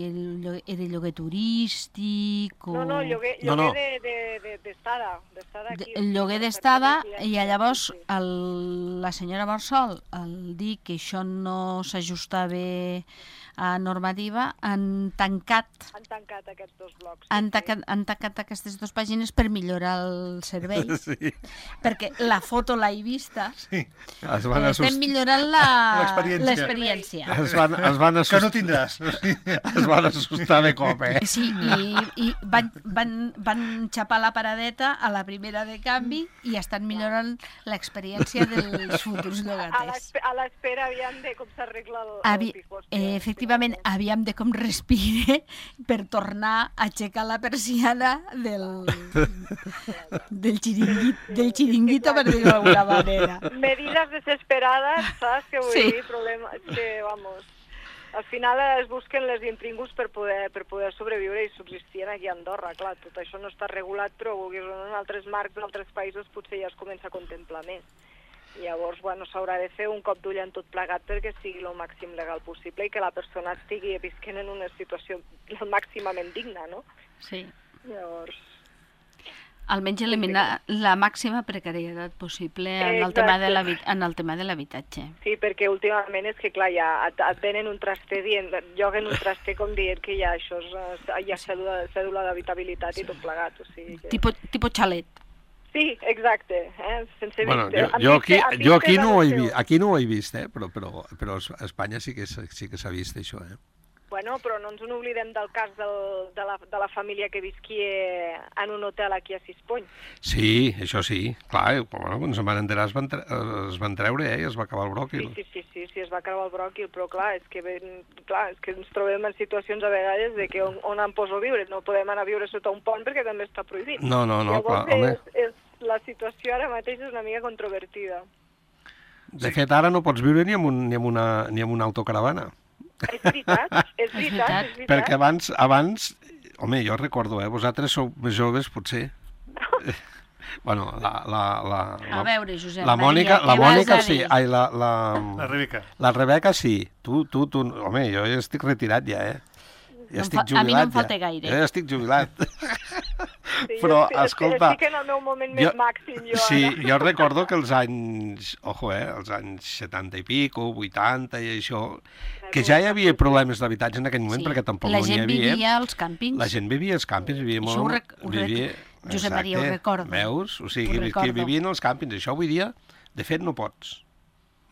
el lloguer, era lloguer turístic o... No, no, lloguer, No, lloguer no. de, de, de, d'estada. d'estada De- aquí. el lloguer Per d'estada, residència, i llavors sí. el, la senyora Barsol, al dir que això no s'ajustava a normativa, han tancat Han tancat aquests dos blocs. han tancat, han tancat aquestes dues pàgines per millorar el servei, Sí. perquè la foto l'he vista, Sí. Es van, estem assust... millorant la- L'experiència. l'experiència. es van, es van Que no assustar. tindràs. Es van assustar de cop, eh? Sí, i, i van, van, van xapar la paradeta a la primera de canvi i estan millorant l'experiència dels futurs A llogaters. l'espe- a l'espera aviam de com s'arregla el, Avi, el pijos. eh, efectivament, aviam de com respire, per tornar a aixecar la persiana del, del, xiringuit, del xiringuito, per dir-ho d'alguna manera. Medidas desesperades, saps? Que vull Sí. dir, problema... És que, vamos... Al final es busquen les intrínguls per poder, per poder sobreviure i subsistir aquí a Andorra. Clar, tot això no està regulat, però vulguis o no, en altres marcs d'altres països potser ja es comença a contemplar més. Llavors, bueno, s'haurà de fer un cop d'ull en tot plegat perquè sigui el màxim legal possible i que la persona estigui visquent en una situació màximament digna, no? Sí. Llavors... Almenys eliminar la màxima precarietat possible en el Exacte. tema de l'habi- en el tema de l'habitatge. Sí, perquè últimament és que, clar, ja et, et venen un traster dient, et lloguen un traster com dient que ja això és, eh, hi ha cèdula, cèdula d'habitabilitat i tot plegat, o sigui que... Tipo, tipo xalet. Sí, exacte. Eh? Sense Bueno, vist- jo, amb jo, vist- aquí, amb jo vistes aquí a no ho he l'estiu. vist, aquí no ho he vist, eh? però, però, però a Espanya sí que s'ha- sí que s'ha vist això. Eh? Bueno, però no ens n'oblidem del cas del, de, la, de la família que visquia en un hotel aquí a Sispony. Sí, això sí, clar, eh, bueno, quan se'n van enterar es van, tre es van treure eh? I es va acabar el Sí, bròquil. sí, sí, sí, sí, es va creuar el bròquil, però clar, és que, ben, clar, és que ens trobem en situacions a vegades de que on, on em poso a viure? No podem anar a viure sota un pont perquè també està prohibit. No, no, no, Llavors, clar, home. és, és, la situació ara mateix és una mica controvertida. De fet, ara no pots viure ni amb, un, ni amb, una, ni amb una autocaravana. És veritat, és veritat, veritat. és veritat. Perquè abans, abans, home, jo recordo, eh, vosaltres sou més joves, potser. Bueno, la, la, la, A veure, Josep la Maria, Mònica, la què vas Mònica a sí, dir? ai, la, la, La Rebeca. la Rebeca sí. Tu, tu, tu, home, jo ja estic retirat ja, eh? Ja No em estic fa- a jubilat, mi no em ja. falta gaire. Jo ja estic jubilat. Sí, Però, jo estic, escolta, estic en el meu moment més jo- màxim, jo Sí, ara. jo recordo que els anys, ojo, eh, els anys setanta i pico, vuitanta i això, que ja hi havia problemes d'habitatge en aquell moment, perquè tampoc la no n'hi gent havia. vivia als càmpings. La gent vivia als càmpings, vivia Això ho molt... rec- ho rec- vivia... Josep Maria, ho Exacte. recordo. Veus? O Ho sigui, que, que recordo. vivien als càmpings. Això avui dia, de fet, no pots.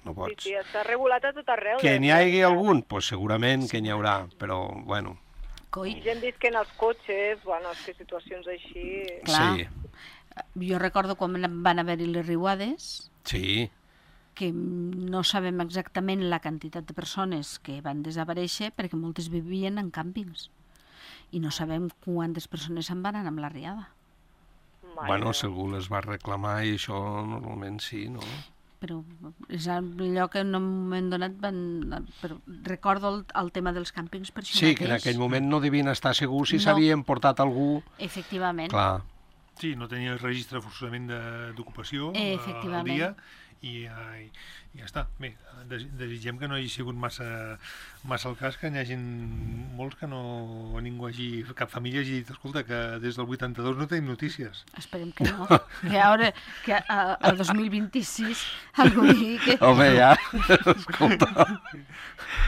No Sí, pots. sí, està regulat a tot arreu. Que de- n'hi hagi algun? Doncs pues segurament que n'hi haurà, però, bueno, Coi, Gent visquent als cotxes, bueno, és que situacions així... clar. sí, Jo recordo quan van haver-hi les riuades, sí. que no sabem exactament la quantitat de persones que van desaparèixer perquè moltes vivien en càmpings. I no sabem quantes persones se'n van anar amb la riada. Mare Bueno, meva. si algú les va reclamar i això normalment sí, no? Però és allò que en un moment donat van... Però recordo el, el tema dels càmpings per això Sí, que en mateix. aquell moment no devien estar segurs si No. s'havien portat algú... Efectivament. Clar, Sí, no tenia el registre forçosament de- d'ocupació Eh, eh, al efectivament. dia i, eh, i ja està. Bé, des, desitgem que no hagi sigut massa, massa el cas, que n'hi hagi molts que no ningú hagi, cap família hagi dit, escolta, que des del vuitanta-dos no tenim notícies. Esperem que no. Que ara, que a- al dos mil vint-i-sis algú digui que home, ja, escolta...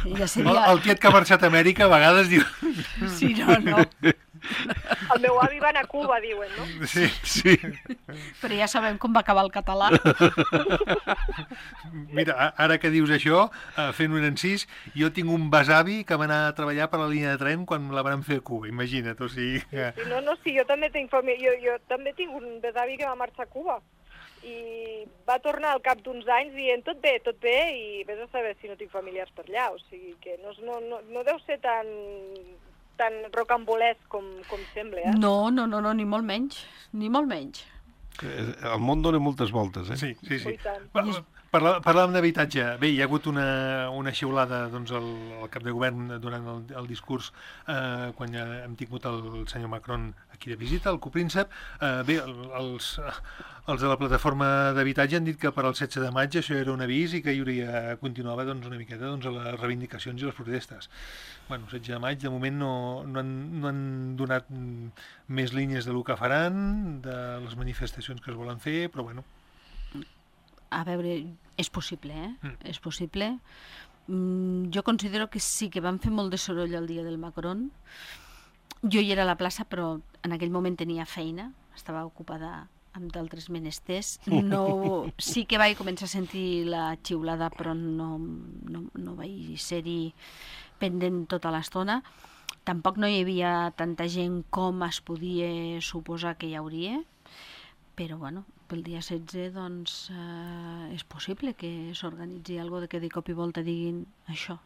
ja El, seria... el tiet que ha marxat a Amèrica a vegades diu... Sí, no, no. El meu avi va anar a Cuba, diuen, no? Sí, Sí, Però ja sabem com va acabar el català. mira, a- ara que dius això, eh, fent un encís, jo tinc un besavi que va anar a treballar per la línia de tren quan la van fer a Cuba, imagina't, o sigui... Que... Sí, no, no, sí, jo també tinc família, jo, jo també tinc un besavi que va marxar a Cuba i va tornar al cap d'uns anys dient tot bé, tot bé, i vés a saber si no tinc familiars per allà, o sigui que no, és- no, no, no deu ser tan, tan rocambolesc com, com sembla, eh? No, no, no, no, ni molt menys. Ni molt menys. el món dona moltes voltes, eh? Sí, sí, sí. I tant. Pa- parla- Parlàvem d'habitatge. Bé, hi ha hagut una, una xiulada doncs, al, al cap de govern durant el, el discurs eh, quan ja hem tingut el senyor Macron aquí de visita, el copríncep. Eh, bé, el, els, els de la plataforma d'habitatge han dit que per al setze de maig això era un avís i que hi hauria, continuava doncs, una miqueta doncs, a les reivindicacions i les protestes. Bueno, el setze de maig, de moment no, no, han, no han donat mm, més línies de lo que faran, de les manifestacions que es volen fer, però bueno, A veure, és possible, eh? Mm. És possible. Mm, jo considero que sí que van fer molt de soroll el dia del Macron. Jo hi era a la plaça, però en aquell moment tenia feina, estava ocupada amb d'altres menesters. No, sí que vaig començar a sentir la xiulada, però no, no, no vaig ser-hi pendent tota l'estona. Tampoc no hi havia tanta gent com es podia suposar que hi hauria, però bueno, pel dia setze doncs eh, és possible que s'organitzi alguna cosa que de cop i volta diguin això.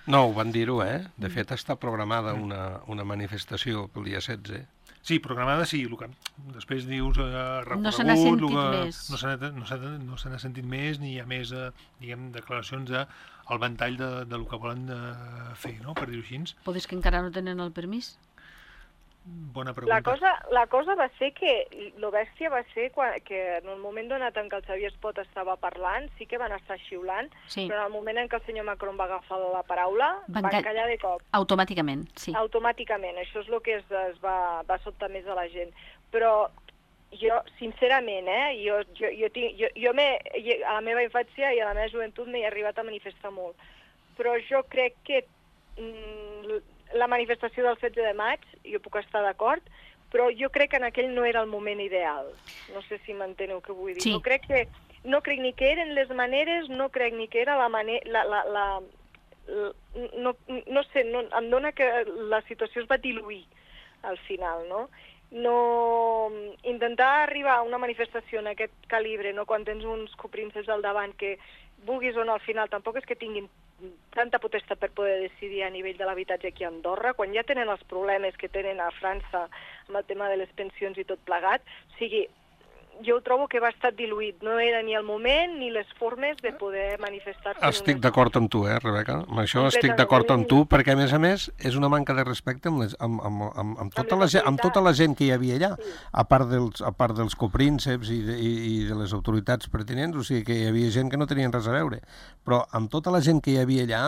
No, ho van dir-ho, eh? De fet, està programada una, una manifestació pel dia setze. Sí, programada sí, el que després dius eh, recorregut... No se n'ha sentit que, més. No se n'ha no se n'ha- no se n'ha sentit més, ni hi ha més, eh, diguem, declaracions de, al ventall de, de lo que volen eh, fer, no?, per dir-ho així. Podes que encara no tenen el permís? Bona pregunta. La cosa, la cosa va ser que, lo bèstia va ser quan, que en el moment donat en què el Xavier Espot estava parlant, sí que van estar xiulant, Sí. però en el moment en què el senyor Macron va agafar la paraula, Van van, ca- callar de cop. Automàticament, sí. Automàticament. Això és el que es, es va, va sobtar més a la gent. Però jo, sincerament, eh, jo, jo, jo, tinc, jo, jo me, a la meva infància i a la meva joventut m'he arribat a manifestar molt. Però jo crec que mm, la manifestació del setze de maig, jo puc estar d'acord, però jo crec que en aquell no era el moment ideal. No sé si m'enteneu què vull dir. Sí. No crec que no crec ni que eren les maneres, no crec ni que era la manera... La, la, la, la, no, no sé, no, em dona que la situació es va diluir al final, no? No, intentar arribar a una manifestació en aquest calibre, no, quan tens uns coprinces al davant que vulguis o no, al final tampoc és que tinguin tanta potestat per poder decidir a nivell de l'habitatge aquí a Andorra, quan ja tenen els problemes que tenen a França amb el tema de les pensions i tot plegat. O sigui, jo ho trobo que va estar diluït. No era ni el moment ni les formes de poder manifestar-se. Estic d'acord amb tu, eh, Rebeca? Amb això estic d'acord amb tu, perquè, a més a més, és una manca de respecte amb, les, amb, amb, amb, amb, tota, la, gent- amb tota la gent que hi havia allà, a part dels, a part dels coprínceps i de, i, i de les autoritats pertinents, o sigui que hi havia gent que no tenien res a veure. Però amb tota la gent que hi havia allà,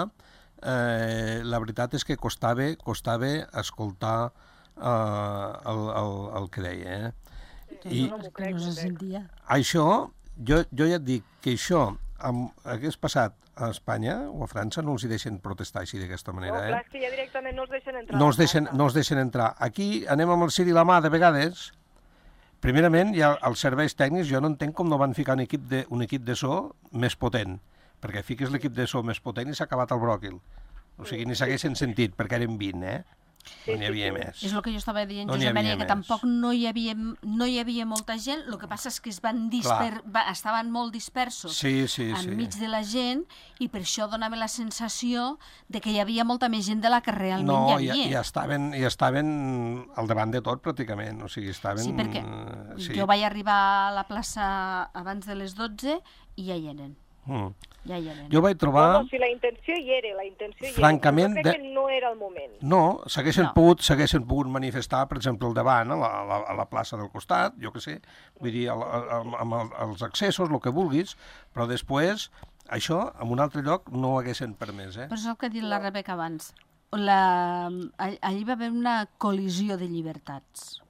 eh, la veritat és que costava, costava escoltar eh, el, el, el que deia, eh? I no m'ho Que crec, no m'ho se crec. sentia. això, jo, jo ja et dic que això amb, hagués passat a Espanya o a França, no els hi deixen protestar així d'aquesta No, manera, clar, eh? és que ja directament no els deixen entrar. No a els, la deixen, plaça. no els deixen entrar. Aquí anem amb el ciri i la mà de vegades. Primerament, hi ha els serveis tècnics, jo no entenc com no van ficar un equip de, un equip de so més potent, perquè fiques l'equip de so més potent i s'ha acabat el bròquil. O sigui, ni s'haguessin sentit, perquè eren vint, eh? No n'hi havia més. És el que jo estava dient, No n'hi Josep Maria, havia que més. tampoc no hi havia, no hi havia molta gent, el que passa és que es van disper... va, estaven molt dispersos Sí, sí, sí. enmig de la gent i per això donava la sensació de que hi havia molta més gent de la que realment No, hi i, havia. i, estaven, i estaven al davant de tot, pràcticament. O sigui, estaven... Sí, perquè sí. jo vaig arribar a la plaça abans de les dotze i ja hi eren. Mm. Ja hi eren. Jo vaig trobar... No, no, si la intenció hi era, la intenció hi Francament, era, però jo crec de- que no era el moment. No, s'haguessin No. pogut, s'haguessin pogut manifestar, per exemple, al davant, a la, a la, a la plaça del costat, jo que sé, vull dir, al- al- amb el- els accessos, el que vulguis, però després, això, en un altre lloc, no ho haguessin permès, eh? Però és el que ha dit la Rebeca abans. La... all- Allí va haver una col·lisió de llibertats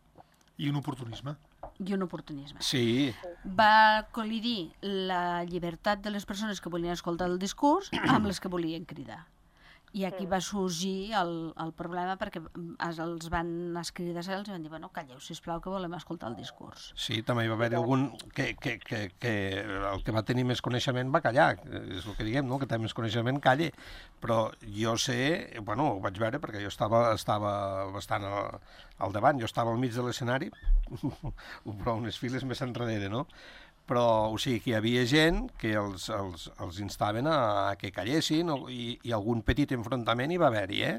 I un oportunisme. i un oportunisme. Sí, Va col·lidir la llibertat de les persones que volien escoltar el discurs amb les que volien cridar. I aquí va sorgir el, el problema perquè es- els van escridar i els van dir, bueno, calleu, sisplau, que volem escoltar el discurs. sí, també hi va haver algun que, que, que, que el que va tenir més coneixement va callar, és el que diguem, no? Que té més coneixement calle, però jo sé, bueno, ho vaig veure perquè jo estava, estava bastant al, al davant, jo estava al mig de l'escenari, però unes files més enrere, no? Però, o sigui, que hi havia gent que els, els, els instaven a, a que callessin o, i, i algun petit enfrontament hi va haver-hi, eh?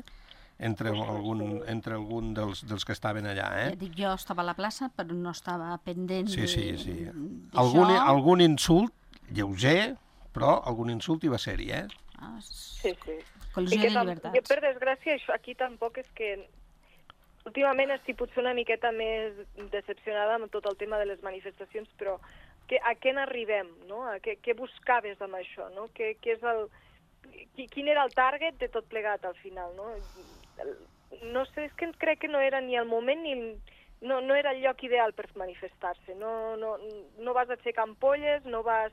Entre algun, entre algun dels, dels que estaven allà, eh? Ja dic, jo estava a la plaça, però no estava pendent Sí, sí, de- sí. d'això. Algun, algun insult lleuger, però algun insult hi va ser-hi, eh? Ah, és- Sí, sí. Col·lisió I que de tam- llibertats. Jo, per desgràcia, això aquí tampoc és que... Últimament estic potser una miqueta més decepcionada amb tot el tema de les manifestacions, però que, a què n'arribem, no? A què, què buscaves amb això, no? Què, què és el, qui, quin era el target de tot plegat al final, no? No sé, és que crec que no era ni el moment ni... el- No, no era el lloc ideal per manifestar-se. No, no, no vas aixecar ampolles, no vas,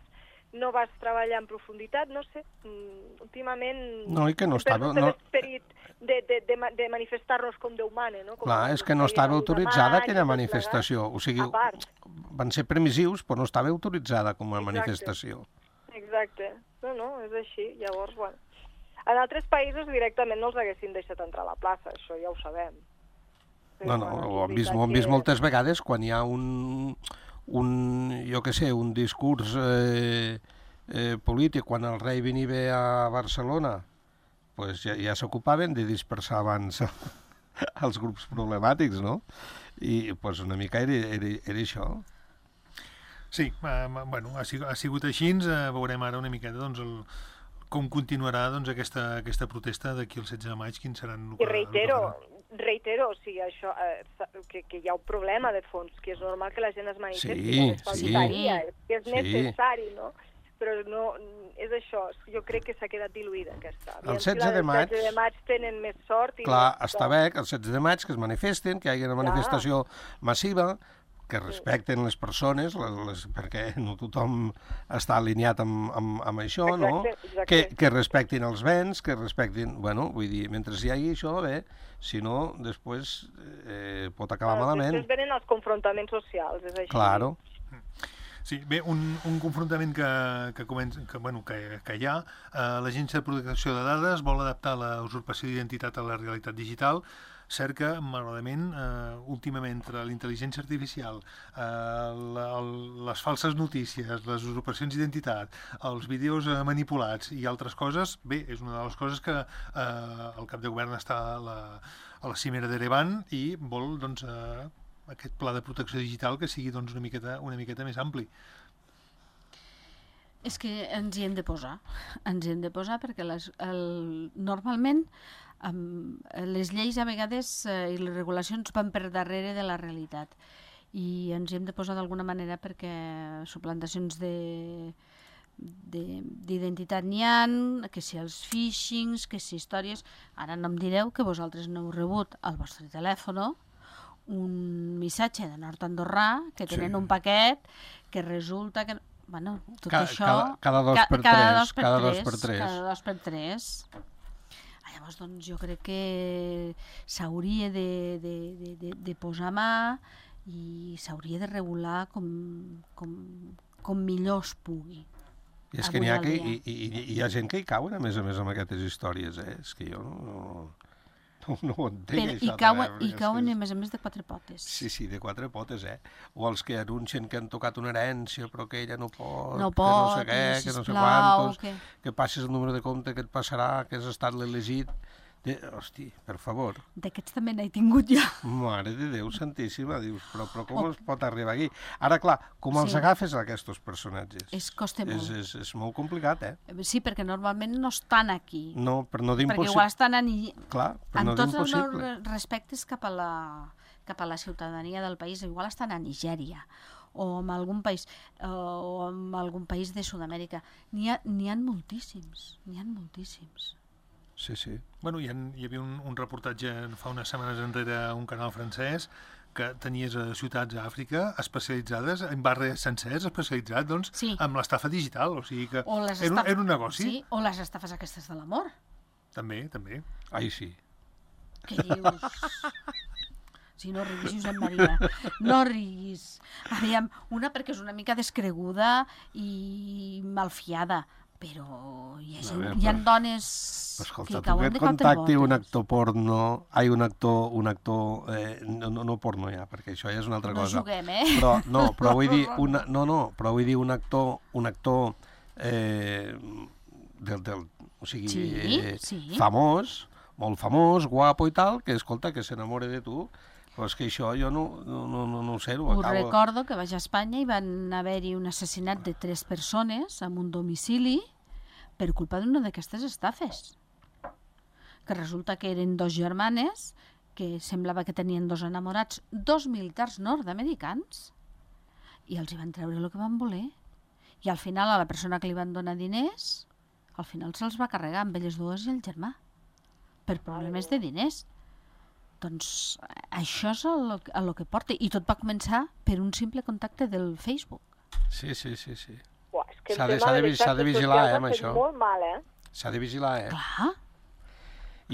no vas treballar en profunditat, no sé. Mm, últimament... No, i que no hem estava- perdut no- l'esperit de, de, de, ma- de manifestar-nos com Déu mana, no? Com Clar, ens és que no feien estava el vuit de autoritzada maig i aquella tot manifestació. O sigui, A part. van ser permissius, però no estava autoritzada com a Exacte. manifestació. plegat. Exacte. No, no, és així. Llavors, bueno... En altres països directament no els haguessin deixat entrar a la plaça, això ja ho sabem. No, no, ho hem vist, ho hem vist moltes vegades quan hi ha un, un jo què sé, un discurs eh, eh, polític, quan el rei venia a Barcelona, pues ja, ja s'ocupaven de dispersar abans els grups problemàtics, no? I pues, una mica era, era, era això. Sí, eh, bueno, ha sigut, ha sigut així, eh, veurem ara una miqueta doncs, el, com continuarà doncs, aquesta, aquesta protesta d'aquí el setze de maig, quins seran... I reitero, reitero, o sigui, això, eh, que, que hi ha un problema de fons, que és normal que la gent es manifesti, sí, es faltaria, sí, que és sí. necessari, no? Però no, és això, jo crec que s'ha quedat diluïda aquesta. El setze de maig... El setze de maig tenen més sort... I clar, no... està bé que el setze de maig que es manifesten, que hi hagi una manifestació massiva, que respecten les persones, les, les, perquè no tothom està alineat amb, amb, amb això, exacte, no? Exacte. Que, que respectin els béns, que respectin... Bueno, vull dir, mentre hi hagi això, bé, si no, després eh, pot acabar bueno, malament. Després venen els confrontaments socials, és així. Claro. Sí, bé, un, un confrontament que, que, comença, que, bueno, que, que hi ha, eh, l'Agència de Protecció de Dades vol adaptar la usurpació d'identitat a la realitat digital. Cert que, malauradament, eh, últimament, entre l'intel·ligència artificial, eh, la, el, les falses notícies, les usurpacions d'identitat, els vídeos eh, manipulats i altres coses, bé, és una de les coses que eh, el cap de govern està a la, a la cimera d'Erevan i vol, doncs, eh, aquest pla de protecció digital que sigui doncs, una miqueta, una miqueta més ampli. És que ens hi hem de posar, ens hi hem de posar perquè les, el, normalment um, les lleis a vegades eh, i les regulacions van per darrere de la realitat i ens hi hem de posar d'alguna manera perquè suplantacions de d'identitat n'hi ha, que si els phishings, que si històries... Ara no em direu que vosaltres no heu rebut al vostre telèfon un missatge de Nord Andorrà que tenen sí. un paquet que resulta que... Bueno, tot cada, això... Cada, cada dos ca, per cada tres. Dos per cada tres, dos per tres. Cada dos per tres. Llavors, doncs, jo crec que s'hauria de, de, de, de, de posar mà i s'hauria de regular com, com, com millor es pugui. I és que n'hi ha, que, i, i, i hi ha gent que hi cauen, a més a més, amb aquestes històries, eh? És que jo no... No, no ho entenc, Però, això. I cauen, també, i cauen és... a més a més de quatre potes. Sí, sí, de quatre potes, eh? O els que anuncien que han tocat una herència però que ella no pot, no que pot, no sé què, que no sé quantos, que... que passis el número de compte que et passarà, que has estat l'elegit. De... Hosti, per favor. D'aquests també n'he tingut jo. Mare de Déu santíssima, dius, però, però com oh. es pot arribar aquí? Ara, clar, com els sí. agafes aquests personatges? És costa molt. És, és, és molt complicat, eh? Sí, perquè normalment no estan aquí. No, per no dir impossible. Perquè igual estan en... Clar, per no dir impossible. Amb tots els respectes cap a, la, cap a la ciutadania del país, igual estan a Nigèria o en algun país o en algun país de Sud-amèrica. N'hi ha, n'hi ha moltíssims, n'hi ha moltíssims. Sí, sí. Bueno, hi, ha, hi havia un, un reportatge fa unes setmanes enrere a un canal francès que tenies a ciutats a Àfrica especialitzades, en barris sencers especialitzats, doncs, sí. amb l'estafa digital. O sigui que o era, un, era un negoci. Sí, o les estafes aquestes de l'amor. També, també. Ai, sí. Què dius? Si no riguis, Josep Maria, no riguis. Aviam, una perquè és una mica descreguda i malfiada, però hi ha, gent, veure, hi ha dones escolta, que cauen de quatre contacti botes. Un actor porno, ai, un actor, un actor eh, no, no porno ja, perquè això ja és una altra no cosa. No juguem, eh? Però, no, però vull dir, una, no, no, però vull dir un actor, un actor eh, del, del, o sigui, sí, eh, sí. famós, molt famós, guapo i tal, que escolta, que s'enamora de tu. Però és que això jo no, no, no, no, no ho sé. Ho Us acabo... recordo que vaig a Espanya i van haver-hi un assassinat de tres persones en un domicili per culpa d'una d'aquestes estafes. Que resulta que eren dos germanes que semblava que tenien dos enamorats, dos militars nord-americans, i els hi van treure el que van voler. I al final a la persona que li van donar diners, al final se'ls va carregar amb elles dues i el germà, per problemes de diners. Doncs això és el, el que porta. I tot va començar per un simple contacte del Facebook. Sí, sí, sí, sí. S'ha de, de, de, de vigilar, eh, amb això. Molt mal, eh? S'ha de vigilar, eh? Clar.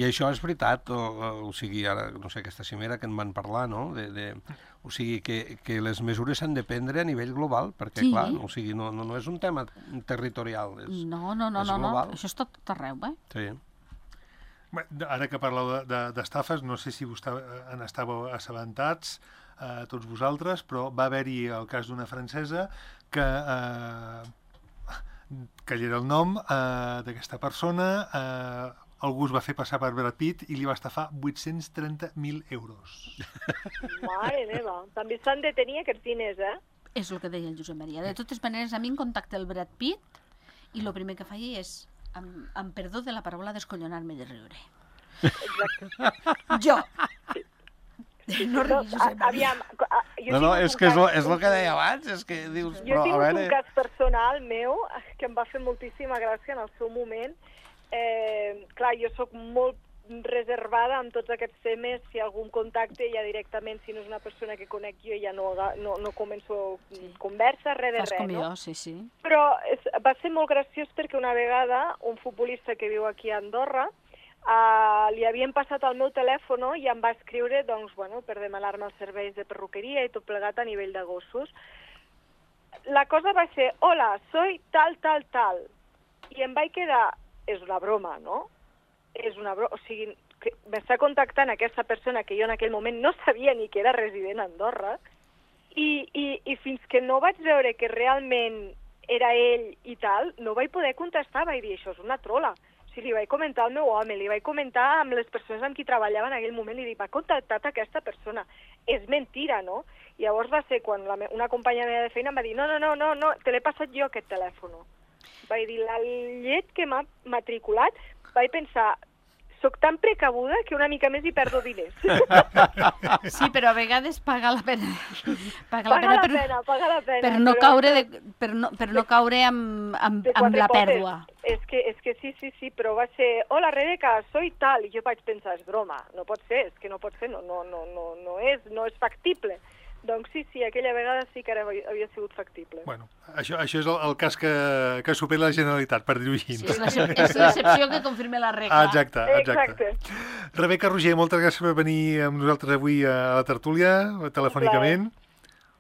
I això és veritat, o, o sigui, ara, no sé, aquesta cimera que en van parlar, no? De, de, o sigui, que, que les mesures s'han de prendre a nivell global, perquè, sí. clar, o sigui, no, no, no és un tema territorial, és, no, no, no, és no, global. No, això és tot arreu, eh? Sí. Bé, ara que parleu d'estafes, de, de, no sé si vos en estàveu assabentats, eh, tots vosaltres, però va haver-hi el cas d'una francesa que, eh, que hi era el nom eh, d'aquesta persona, eh, algú es va fer passar per Brad Pitt i li va estafar vuit-cents trenta mil euros. Mare meva, també s'han de tenir aquests diners, eh? És el que deia el Josep Maria. De totes maneres, a mi em contacta el Brad Pitt i el primer que faig és, amb, amb perdó de la paraula, descollonar-me de riure. Exacte. Jo. No riguis, Josep Maria. Aviam, a- jo No, no, tinc és un que és lo, cas- és lo que deia abans, és que dius... Jo Però, he a tingut veure... un cas personal meu que em va fer moltíssima gràcia en el seu moment. Eh, clar, jo sóc molt reservada amb tots aquests temes. Si algun contacte ja directament, si no és una persona que conec jo, ja no, aga- no, no començo Sí. conversa, res de Fas res, com no? jo, sí, sí. Però és, va ser molt graciós perquè una vegada un futbolista que viu aquí a Andorra uh, li havien passat el meu telèfon i em va escriure doncs, bueno, per demanar-me els serveis de perruqueria i tot plegat a nivell de gossos. La cosa va ser, hola, soy tal, tal, tal. I em vaig quedar, és una broma, no? És una broma, o sigui, que m'està contactant aquesta persona que jo en aquell moment no sabia ni que era resident a Andorra, i, i, i fins que no vaig veure que realment era ell i tal, no vaig poder contestar, vaig dir, això és una trola. O sigui, li vaig comentar al meu home, li vaig comentar amb les persones amb qui treballava en aquell moment, i li dic, m'ha contactat aquesta persona. És mentira, no? I llavors va ser quan la me una companya meva de feina em va dir, no, no, no, no, no te l'he passat jo aquest telèfon. Vaig dir, la llet que m'ha matriculat, vaig pensar, soc tan precabuda que una mica més hi perdo diners. Sí, però a vegades paga la pena. Paga la Paga pena, la per, pena, paga la pena. per no però- caure, de, per no, per no caure amb, amb, de amb quatre la potes. pèrdua. És que, és que sí, sí, sí, però va ser, hola Rebeca, soy tal, i jo vaig pensar, és broma, no pot ser, és que no pot ser, no, no, no, no, no, és, no és factible. Doncs sí, sí, aquella vegada sí que ara havia sigut factible. Bueno, això, això és el, el cas que, que supera la Generalitat, per dir-ho així. Sí, és l'excep- és l'excepció que confirma la regla. Ah, exacte, exacte. Exacte. Rebeca Roger, moltes gràcies per venir amb nosaltres avui a la tertúlia, telefònicament.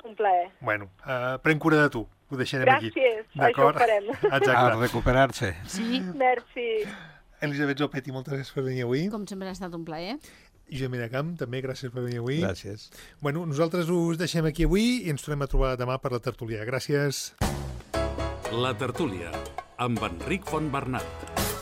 Un plaer. Bueno, uh, pren cura de tu, ho deixarem aquí. Gràcies, això ho D'acord? farem. A Exacte. recuperar-se. Sí, Merci. Elisabet Zopetti, moltes gràcies per venir avui. com sempre ha estat un plaer. I Josep Miracamp, també gràcies per venir avui. Gràcies. Bueno, nosaltres us deixem aquí avui i ens tornem a trobar demà per la tertúlia. Gràcies. La tertúlia, amb Enric Fontbernat.